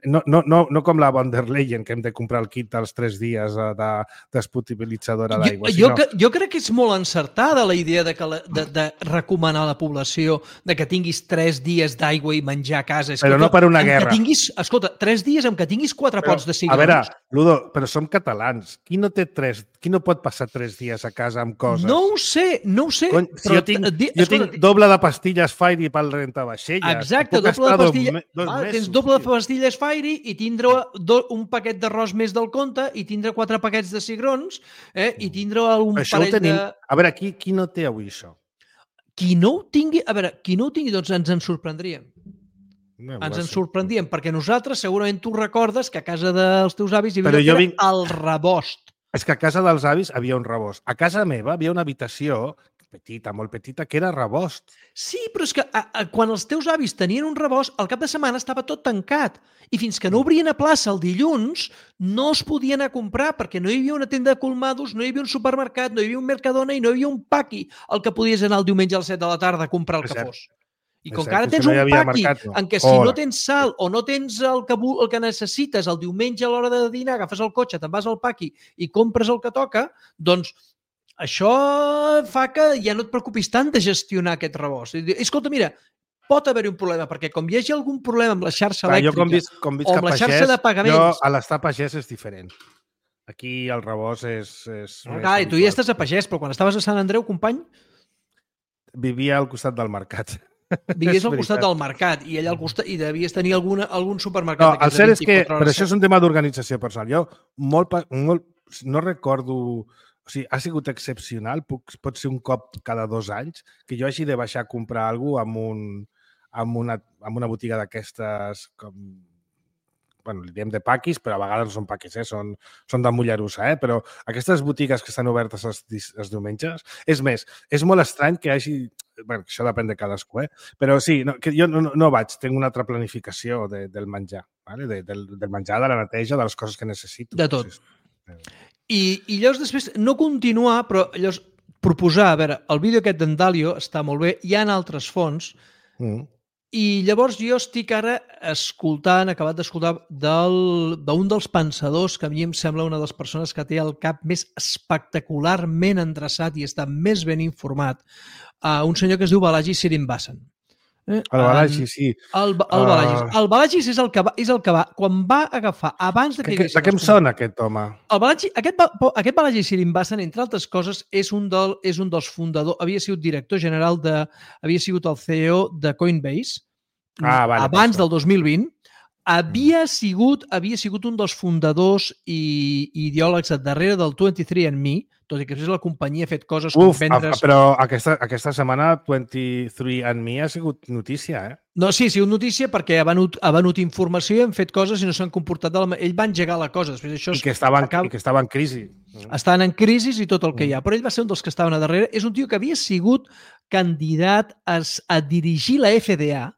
No, no, no, no com la von der Leyen, que hem de comprar el kit dels tres dies de despotabilitzadora d'aigua. Jo, sinó... jo, jo crec que és molt encertada la idea de, que la, de, de recomanar a la població de que tinguis tres dies d'aigua i menjar a casa. Escolta, però no per una guerra. Tinguis, escolta, tres dies amb que tinguis quatre però, pots de cigrons. A veure, Ludo, però som catalans. Qui no té tres... Qui no pot passar tres dies a casa amb coses? No ho sé, no ho sé. Cony, si però, jo tinc, di, jo escolta, tinc doble de pastilles Fairy pel rentavaixelles. Exacte, doble de pastilles. Ah, tens doble de pastilles Fairy i tindre do, un paquet d'arròs més del compte i tindre quatre paquets de cigrons eh, i tindre un això parell tenim... de... A veure, qui, qui no té avui això? Qui no ho tingui... A veure, qui no ho tingui, doncs ens en sorprendríem. No, ens en sorprendríem, perquè nosaltres segurament tu recordes que a casa dels teus avis hi havia vinc... el rebost. És que a casa dels avis havia un rebost. A casa meva havia una habitació petita, molt petita, que era rebost. Sí, però és que a, a, quan els teus avis tenien un rebost, al cap de setmana estava tot tancat. I fins que no obrien a plaça el dilluns, no es podia anar a comprar perquè no hi havia una tenda de colmados, no hi havia un supermercat, no hi havia un Mercadona i no hi havia un paqui al que podies anar el diumenge a les set de la tarda a comprar el que fos. I com que ara tens un paqui en què si no tens sal o no tens el que, el que necessites el diumenge a l'hora de dinar, agafes el cotxe, te'n vas al paqui i compres el que toca, doncs això fa que ja no et preocupis tant de gestionar aquest rebost. Escolta, mira, pot haver-hi un problema, perquè com hi hagi algun problema amb la xarxa elèctrica jo com visc, com visc o amb la xarxa pagès, de pagaments... Jo a l'estar pagès és diferent. Aquí el rebost és... és no, clar, tu ja estàs a pagès, però quan estaves a Sant Andreu, company... Vivia al costat del mercat. Vivies al costat del mercat i allà al costat i devies tenir alguna, algun supermercat. No, el cert és que, però això és un tema d'organització personal. Jo molt, molt, no recordo... O sigui, ha sigut excepcional, puc, pot ser un cop cada dos anys, que jo hagi de baixar a comprar alguna cosa amb, un, amb, una, amb una botiga d'aquestes com... Bueno, li diem de paquis, però a vegades no són paquis, eh? són, són de Mollerussa, eh? Però aquestes botigues que estan obertes els, els diumenges, és més, és molt estrany que hi hagi... Bueno, això depèn de cadascú, eh? Però sí, no, que jo no, no vaig, tinc una altra planificació de, del menjar, ¿vale? de, del, del menjar, de la neteja, de les coses que necessito. De tot. I, i llavors després, no continuar, però llavors proposar, a veure, el vídeo aquest d'en Dalio està molt bé, hi ha altres fonts, mm. I llavors jo estic ara escoltant, acabat d'escoltar, d'un dels pensadors que a mi em sembla una de les persones que té el cap més espectacularment endreçat i està més ben informat, uh, un senyor que es diu Balaji Srinivasan. Eh? El Balagi, sí. El, el Balagis. Uh... El Balagis és el que va, és el que va, quan va agafar, abans de que... que de què em sona aquest home? El Balagi, aquest, aquest Balaji Srinivasan, entre altres coses, és un, del, és un dels fundadors, havia sigut director general de... havia sigut el C E O de Coinbase, ah, vale, abans del dos mil vint, havia sigut, havia sigut un dels fundadors i, i ideòlegs darrere del vint-i-tres and me, tot i que és la companyia ha fet coses com Uf, vendre's... però aquesta, aquesta setmana vint-i-tres and me ha sigut notícia, eh? No, sí, ha sigut notícia perquè ha venut, ha venut informació i han fet coses i no s'han comportat de la... Ell va engegar la cosa. Després això I, que estaven, acaba... I que estava en crisi. Estaven en crisi i tot el que hi ha. Però ell va ser un dels que estaven a darrere. És un tio que havia sigut candidat a, a dirigir la F D A,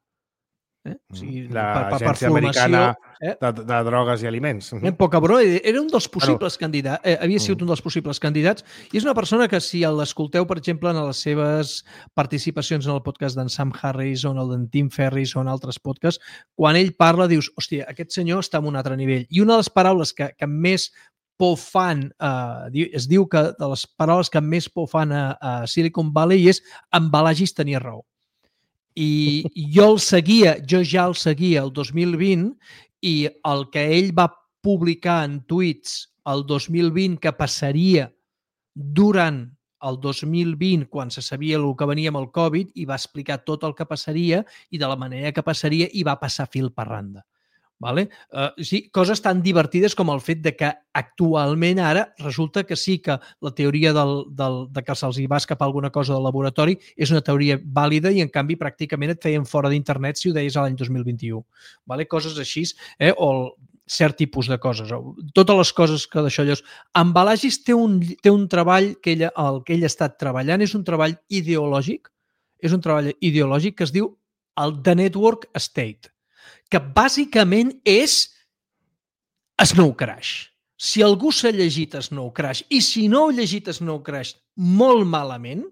eh? O sigui, l'Agència Americana eh? de, de Drogues i Aliments. Eh? Poca broma, era un dels possibles bueno. candidats, eh, havia sigut un dels possibles candidats i és una persona que si l'escolteu, per exemple, en les seves participacions en el podcast d'en Sam Harris o en el d'en Tim Ferriss o en altres podcasts, quan ell parla dius, hòstia, aquest senyor està en un altre nivell. I una de les paraules que, que més por fan, eh, es diu que de les paraules que més por fan a, a Silicon Valley és en Balagis tenia raó. I jo el seguia, jo ja el seguia el dos mil vint i el que ell va publicar en tuits el dos mil vint que passaria durant el dos mil vint, quan se sabia el que venia amb el Covid, i va explicar tot el que passaria i de la manera que passaria i va passar fil per randa. Vale? Uh, sí, coses tan divertides com el fet de que actualment ara resulta que sí que la teoria del, del, de que se'ls hi va escapar alguna cosa del laboratori és una teoria vàlida i en canvi pràcticament et feien fora d'internet si ho deies a l'any dos mil vint-i-u. Vale? Coses així, eh? O el, cert tipus de coses. Totes les coses que d'això llavors. En Balagis té un, té un treball que ell, el que ell ha estat treballant, és un treball ideològic, és un treball ideològic que es diu el The Network State, que bàsicament és Snow Crash. Si algú s'ha llegit Snow Crash i si no ha llegit Snow Crash molt malament,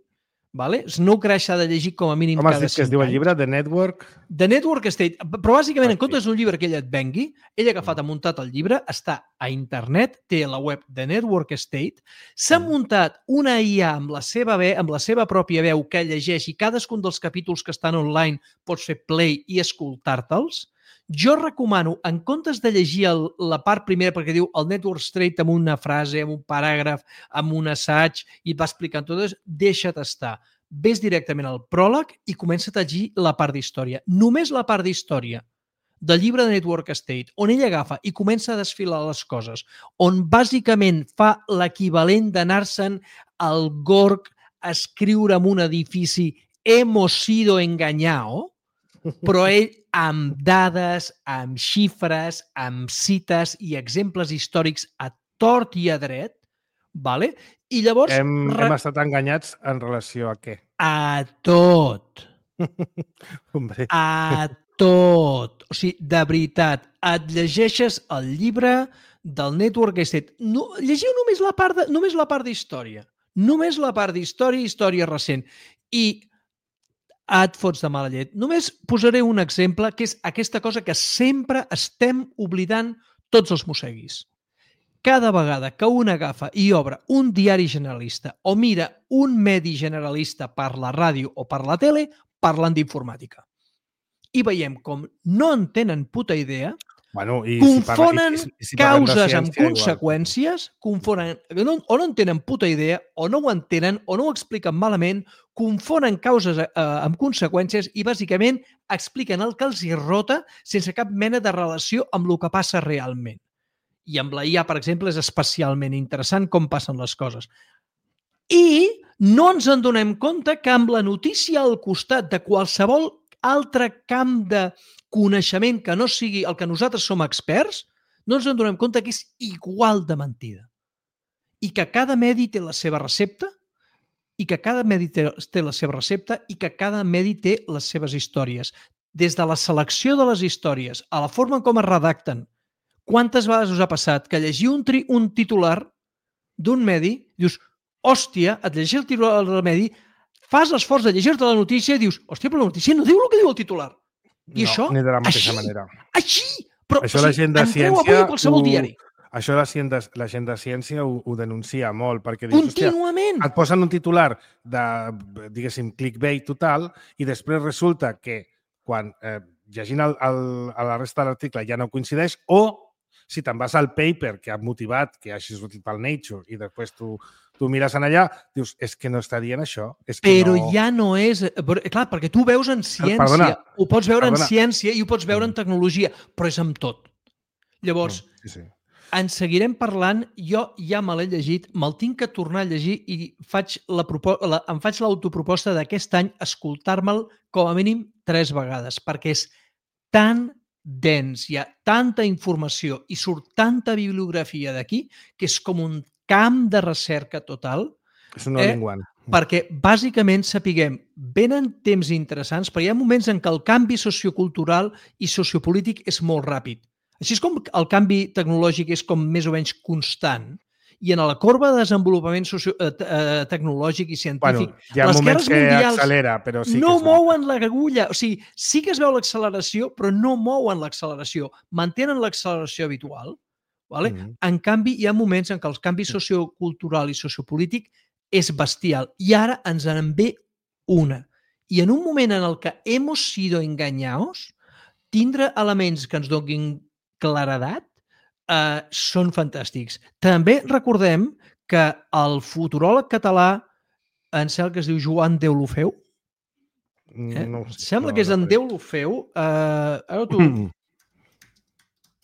vale? Snow Crash s'ha de llegir com a mínim Com cada has dit que es diu el llibre? The Network? The Network State. Però bàsicament, en comptes d'un llibre que ell et vengui, ell ha agafat, ha muntat el llibre, està a internet, té la web The Network State, s'ha muntat una I A amb la seva veu, amb la seva pròpia veu que llegeix i cadascun dels capítols que estan online pots fer play i escoltar-te'ls. Jo recomano, en comptes de llegir el, la part primera, perquè diu el Network State amb una frase, amb un paràgraf, amb un assaig, i va explicant tot, deixa't estar. Ves directament al pròleg i comença a llegir la part d'història. Només la part d'història del llibre de Network State, on ell agafa i comença a desfilar les coses, on bàsicament fa l'equivalent d'anar-se'n al Gorg a escriure en un edifici hemos sido engañado, però ell amb dades, amb xifres, amb cites i exemples històrics a tort i a dret, vale? I llavors... Hem, hem estat enganyats en relació a què? A tot. A tot. O sigui, de veritat, et llegeixes el llibre del Network State. No, llegiu només la part de, només la part d'història. Només la part d'història i història recent. I et fots de mala llet. Només posaré un exemple, que és aquesta cosa que sempre estem oblidant tots els mosseguis. Cada vegada que un agafa i obre un diari generalista o mira un medi generalista per la ràdio o per la tele, parlen d'informàtica. I veiem com no en tenen puta idea, bueno, i confonen si parla, i, i si causes amb conseqüències, confonen, no, o no en tenen puta idea, o no ho entenen, o no ho expliquen malament, confonen causes eh, amb conseqüències i bàsicament expliquen el que els hi rota sense cap mena de relació amb el que passa realment. I amb la I A, per exemple, és especialment interessant com passen les coses. I no ens en donem compte que amb la notícia al costat de qualsevol altre camp de coneixement que no sigui el que nosaltres som experts, no ens en donem compte que és igual de mentida. I que cada medi té la seva recepta, i que cada medi té la seva recepta, i que cada medi té les seves històries. Des de la selecció de les històries, a la forma com es redacten, quantes vegades us ha passat que llegir un, tri, un titular d'un medi, dius, hòstia, et llegeix el titular del medi, fas l'esforç de llegir-te la notícia i dius, hòstia, però la notícia no diu el que diu el titular. I no, això, ni de la mateixa així, manera. Així! Però, això o sigui, la gent de ciència a qualsevol ho, diari. Això la gent de, la gent de ciència ho, ho denuncia molt, perquè dius, contínuament. Et posen un titular de, diguéssim, clickbait total i després resulta que quan eh, llegint el, el, a la resta de l'article ja no coincideix, o si te'n vas al paper que ha motivat, que hagi sortit pel Nature, i després tu, tu mires en allà, dius, és que no està dient això. És que Però no... ja no és... Clar, perquè tu veus en ciència, Perdona, ho pots veure perdona. en ciència i ho pots veure en tecnologia, però és amb tot. Llavors, Mm, sí, sí. en seguirem parlant, jo ja me l'he llegit, me'l tinc que tornar a llegir i faig la, la, em faig l'autoproposta d'aquest any escoltar-me'l com a mínim tres vegades, perquè és tan dens, hi ha tanta informació i surt tanta bibliografia d'aquí que és com un camp de recerca total. És un all-in-one. Eh? Perquè bàsicament sapiguem, venen temps interessants, però hi ha moments en què el canvi sociocultural i sociopolític és molt ràpid. Així és com el canvi tecnològic és com més o menys constant. I en la corba de desenvolupament socio, eh, tecnològic i científic, bueno, hi ha les moments guerres que mundials accelera, però sí no que mouen l'agulla. O sigui, sí que es veu l'acceleració, però no mouen l'acceleració. Mantenen l'acceleració habitual. Vale? Mm-hmm. En canvi, hi ha moments en què el canvi sociocultural i sociopolític és bestial. I ara ens en ve una. I en un moment en el que hemos sido engañados, tindre elements que ens donin claredat eh, són fantàstics. També recordem que el futuròleg català, em sembla que es diu Joan Deulofeu, eh? no sé, sembla no, que és no, en no. Deulofeu. Eh, ara tu...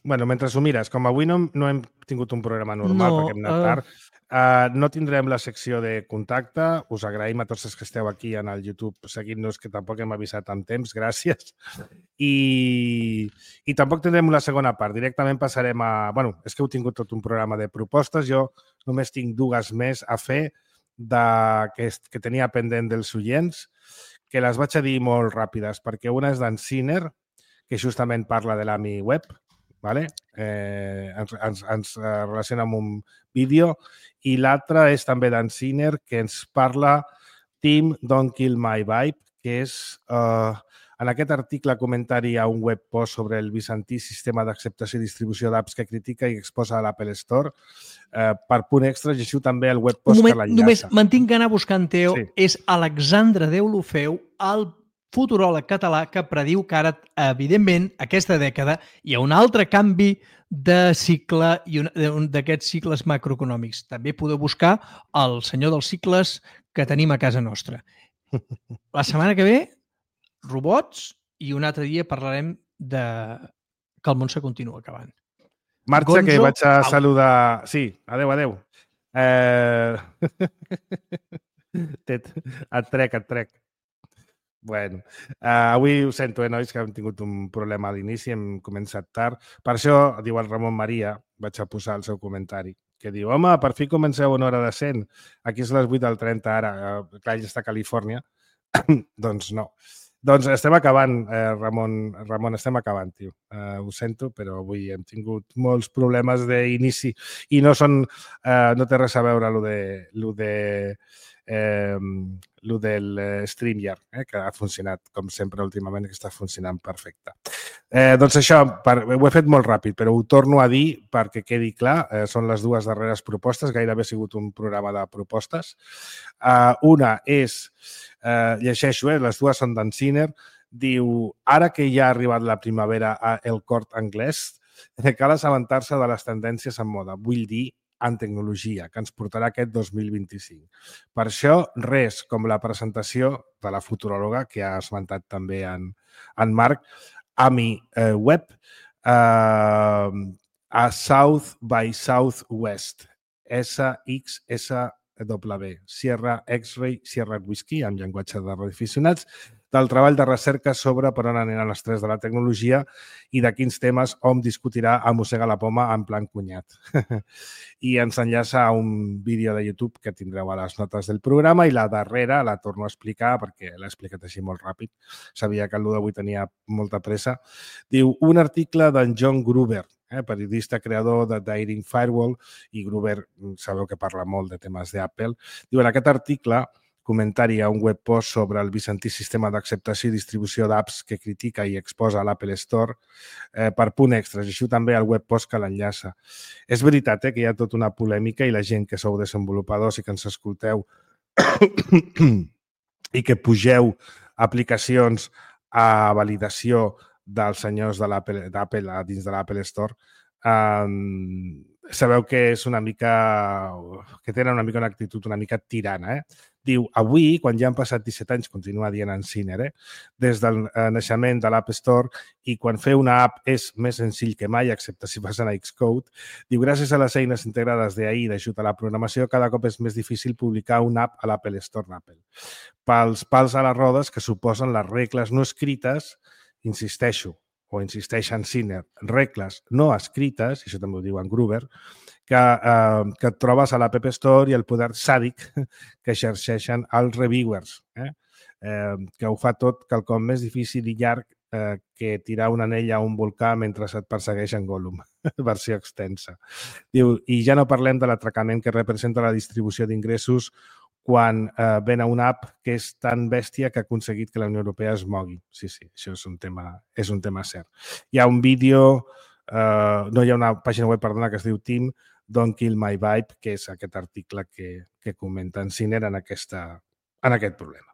Bueno, mentre ho mires, com avui no, no hem tingut un programa normal No, perquè hem anat uh... tard, uh, no tindrem la secció de contacte. Us agraïm a tots els que esteu aquí en el YouTube seguint-nos, que tampoc hem avisat amb temps, gràcies. I, i tampoc tindrem la segona part. Directament passarem a... Bueno, és que heu tingut tot un programa de propostes. Jo només tinc dues més a fer de, que, que tenia pendent dels oients, que les vaig a dir molt ràpides, perquè una és d'en Sinner, que justament parla de l'A M I web, vale? eh, ens, ens, ens relaciona amb un vídeo, i l'altra és també d'en Sinner, que ens parla Team Don't Kill My Vibe, que és, eh, en aquest article comentari a un web post sobre el bizantí sistema d'acceptació i distribució d'apps que critica i exposa a l'Apple Store. Eh, per punt extra, llegiu també el web post moment, que l'enllaça. Només me'n tinc d'anar buscant, Teo, Sí. és Alexandre Deulofeu, el futuròleg català que prediu que ara, evidentment, aquesta dècada hi ha un altre canvi de cicle i un d'aquests cicles macroeconòmics. També podeu buscar el senyor dels cicles que tenim a casa nostra. La setmana que ve, robots, i un altre dia parlarem de que el món se continua acabant. Marxa, Gonzo, que vaig a saludar... Sí, adeu, adeu. Eh... et trec, et trec. Bueno, uh, avui ho sento, eh, nois, que hem tingut un problema a l'inici, hem començat tard. Per això, diu el Ramon Maria, vaig a posar el seu comentari, que diu, home, per fi comenceu una hora decent. Aquí és les vuit del trenta ara, uh, clar, ell està a Califòrnia. Doncs no. Doncs estem acabant, eh, Ramon, Ramon, estem acabant, tio. Uh, ho sento, però avui hem tingut molts problemes d'inici i no són, uh, no té res a veure lo de, lo de Eh, el del StreamYard, eh, que ha funcionat, com sempre, últimament, que està funcionant perfecte. Eh, doncs això, per, ho he fet molt ràpid, però ho torno a dir perquè quedi clar. Eh, són les dues darreres propostes, gairebé ha sigut un programa de propostes. Eh, una és, eh, llegeixo, eh, les dues són d'en Sinner, diu, ara que ja ha arribat la primavera a El Cort Anglès, cal assabentar-se de les tendències en moda. Vull dir, en tecnologia, que ens portarà aquest dos mil vint-i-cinc. Per això, res com la presentació de la futuròloga, que ha esmentat també en, en Marc, A M I eh, Web, eh, a South by Southwest, S X S W, Sierra X-Ray, Sierra Whiskey, en llenguatge de radioaficionats, del treball de recerca sobre per on aniran les tres de la tecnologia i de quins temes hom discutirà a Mossega la Poma en plan cunyat. I ens enllaça a un vídeo de YouTube que tindreu a les notes del programa i la darrera la torno a explicar perquè l'he explicat així molt ràpid. Sabia que el d'avui tenia molta pressa. Diu, un article d'en John Gruber, eh, periodista creador de Daring Firewall, i Gruber sabeu que parla molt de temes d'Apple. Diu, en aquest article, comentari a un web post sobre el bizantí sistema d'acceptació i distribució d'apps que critica i exposa a l'Apple Store, eh, per punt extra. Així també el web post que l'enllaça. És veritat eh, que hi ha tota una polèmica i la gent que sou desenvolupadors i que ens escolteu i que pugeu aplicacions a validació dels senyors de l'Apple dins de l'Apple Store, um, sabeu que és una mica... que tenen una mica una actitud una mica tirana, eh? Diu, avui, quan ja han passat disset anys, continua dient en Sinner, eh? Des del naixement de l'App Store i quan fer una app és més senzill que mai, excepte si vas a Xcode, diu, gràcies a les eines integrades d'A I d'ajut a la programació, cada cop és més difícil publicar una app a l'Apple Store d'Apple. Pels pals a les rodes que suposen les regles no escrites, insisteixo, o insisteix en Sinner, regles no escrites, i això també ho diu en Gruber, que, eh, que et trobes a l'App Store i el poder sàdic que exerceixen els reviewers, eh? Eh, que ho fa tot quelcom més difícil i llarg eh, que tirar un anell a un volcà mentre et persegueix en Gollum, versió extensa. Diu, i ja no parlem de l'atracament que representa la distribució d'ingressos quan eh, ven a una app que és tan bèstia que ha aconseguit que la Unió Europea es mogui. Sí, sí, això és un tema, és un tema cert. Hi ha un vídeo, eh, no hi ha una pàgina web, perdona, que es diu Team Don't Kill My Vibe, que és aquest article que, que comenta en Sinner en, aquesta, en aquest problema.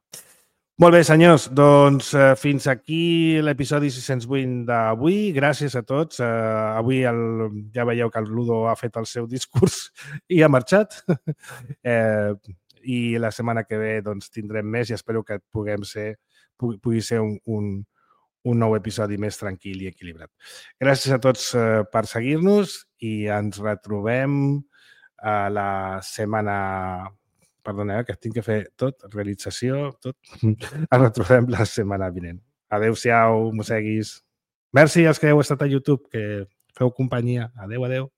Molt bé, senyors, doncs eh, fins aquí l'episodi sis-cents vuit d'avui. Gràcies a tots. Eh, avui el, ja veieu que el Ludo ha fet el seu discurs i ha marxat. eh, I la setmana que ve doncs, tindrem més i espero que puguem ser, pugui, pugui ser un, un, un nou episodi més tranquil i equilibrat. Gràcies a tots eh, per seguir-nos i ens retrobem a la setmana... Perdoneu, que tinc que fer tot, realització, tot. Ens retrobem la setmana vinent. Adéu-siau, mosseguis. Merci als que heu estat a YouTube, que feu companyia. Adéu, adéu.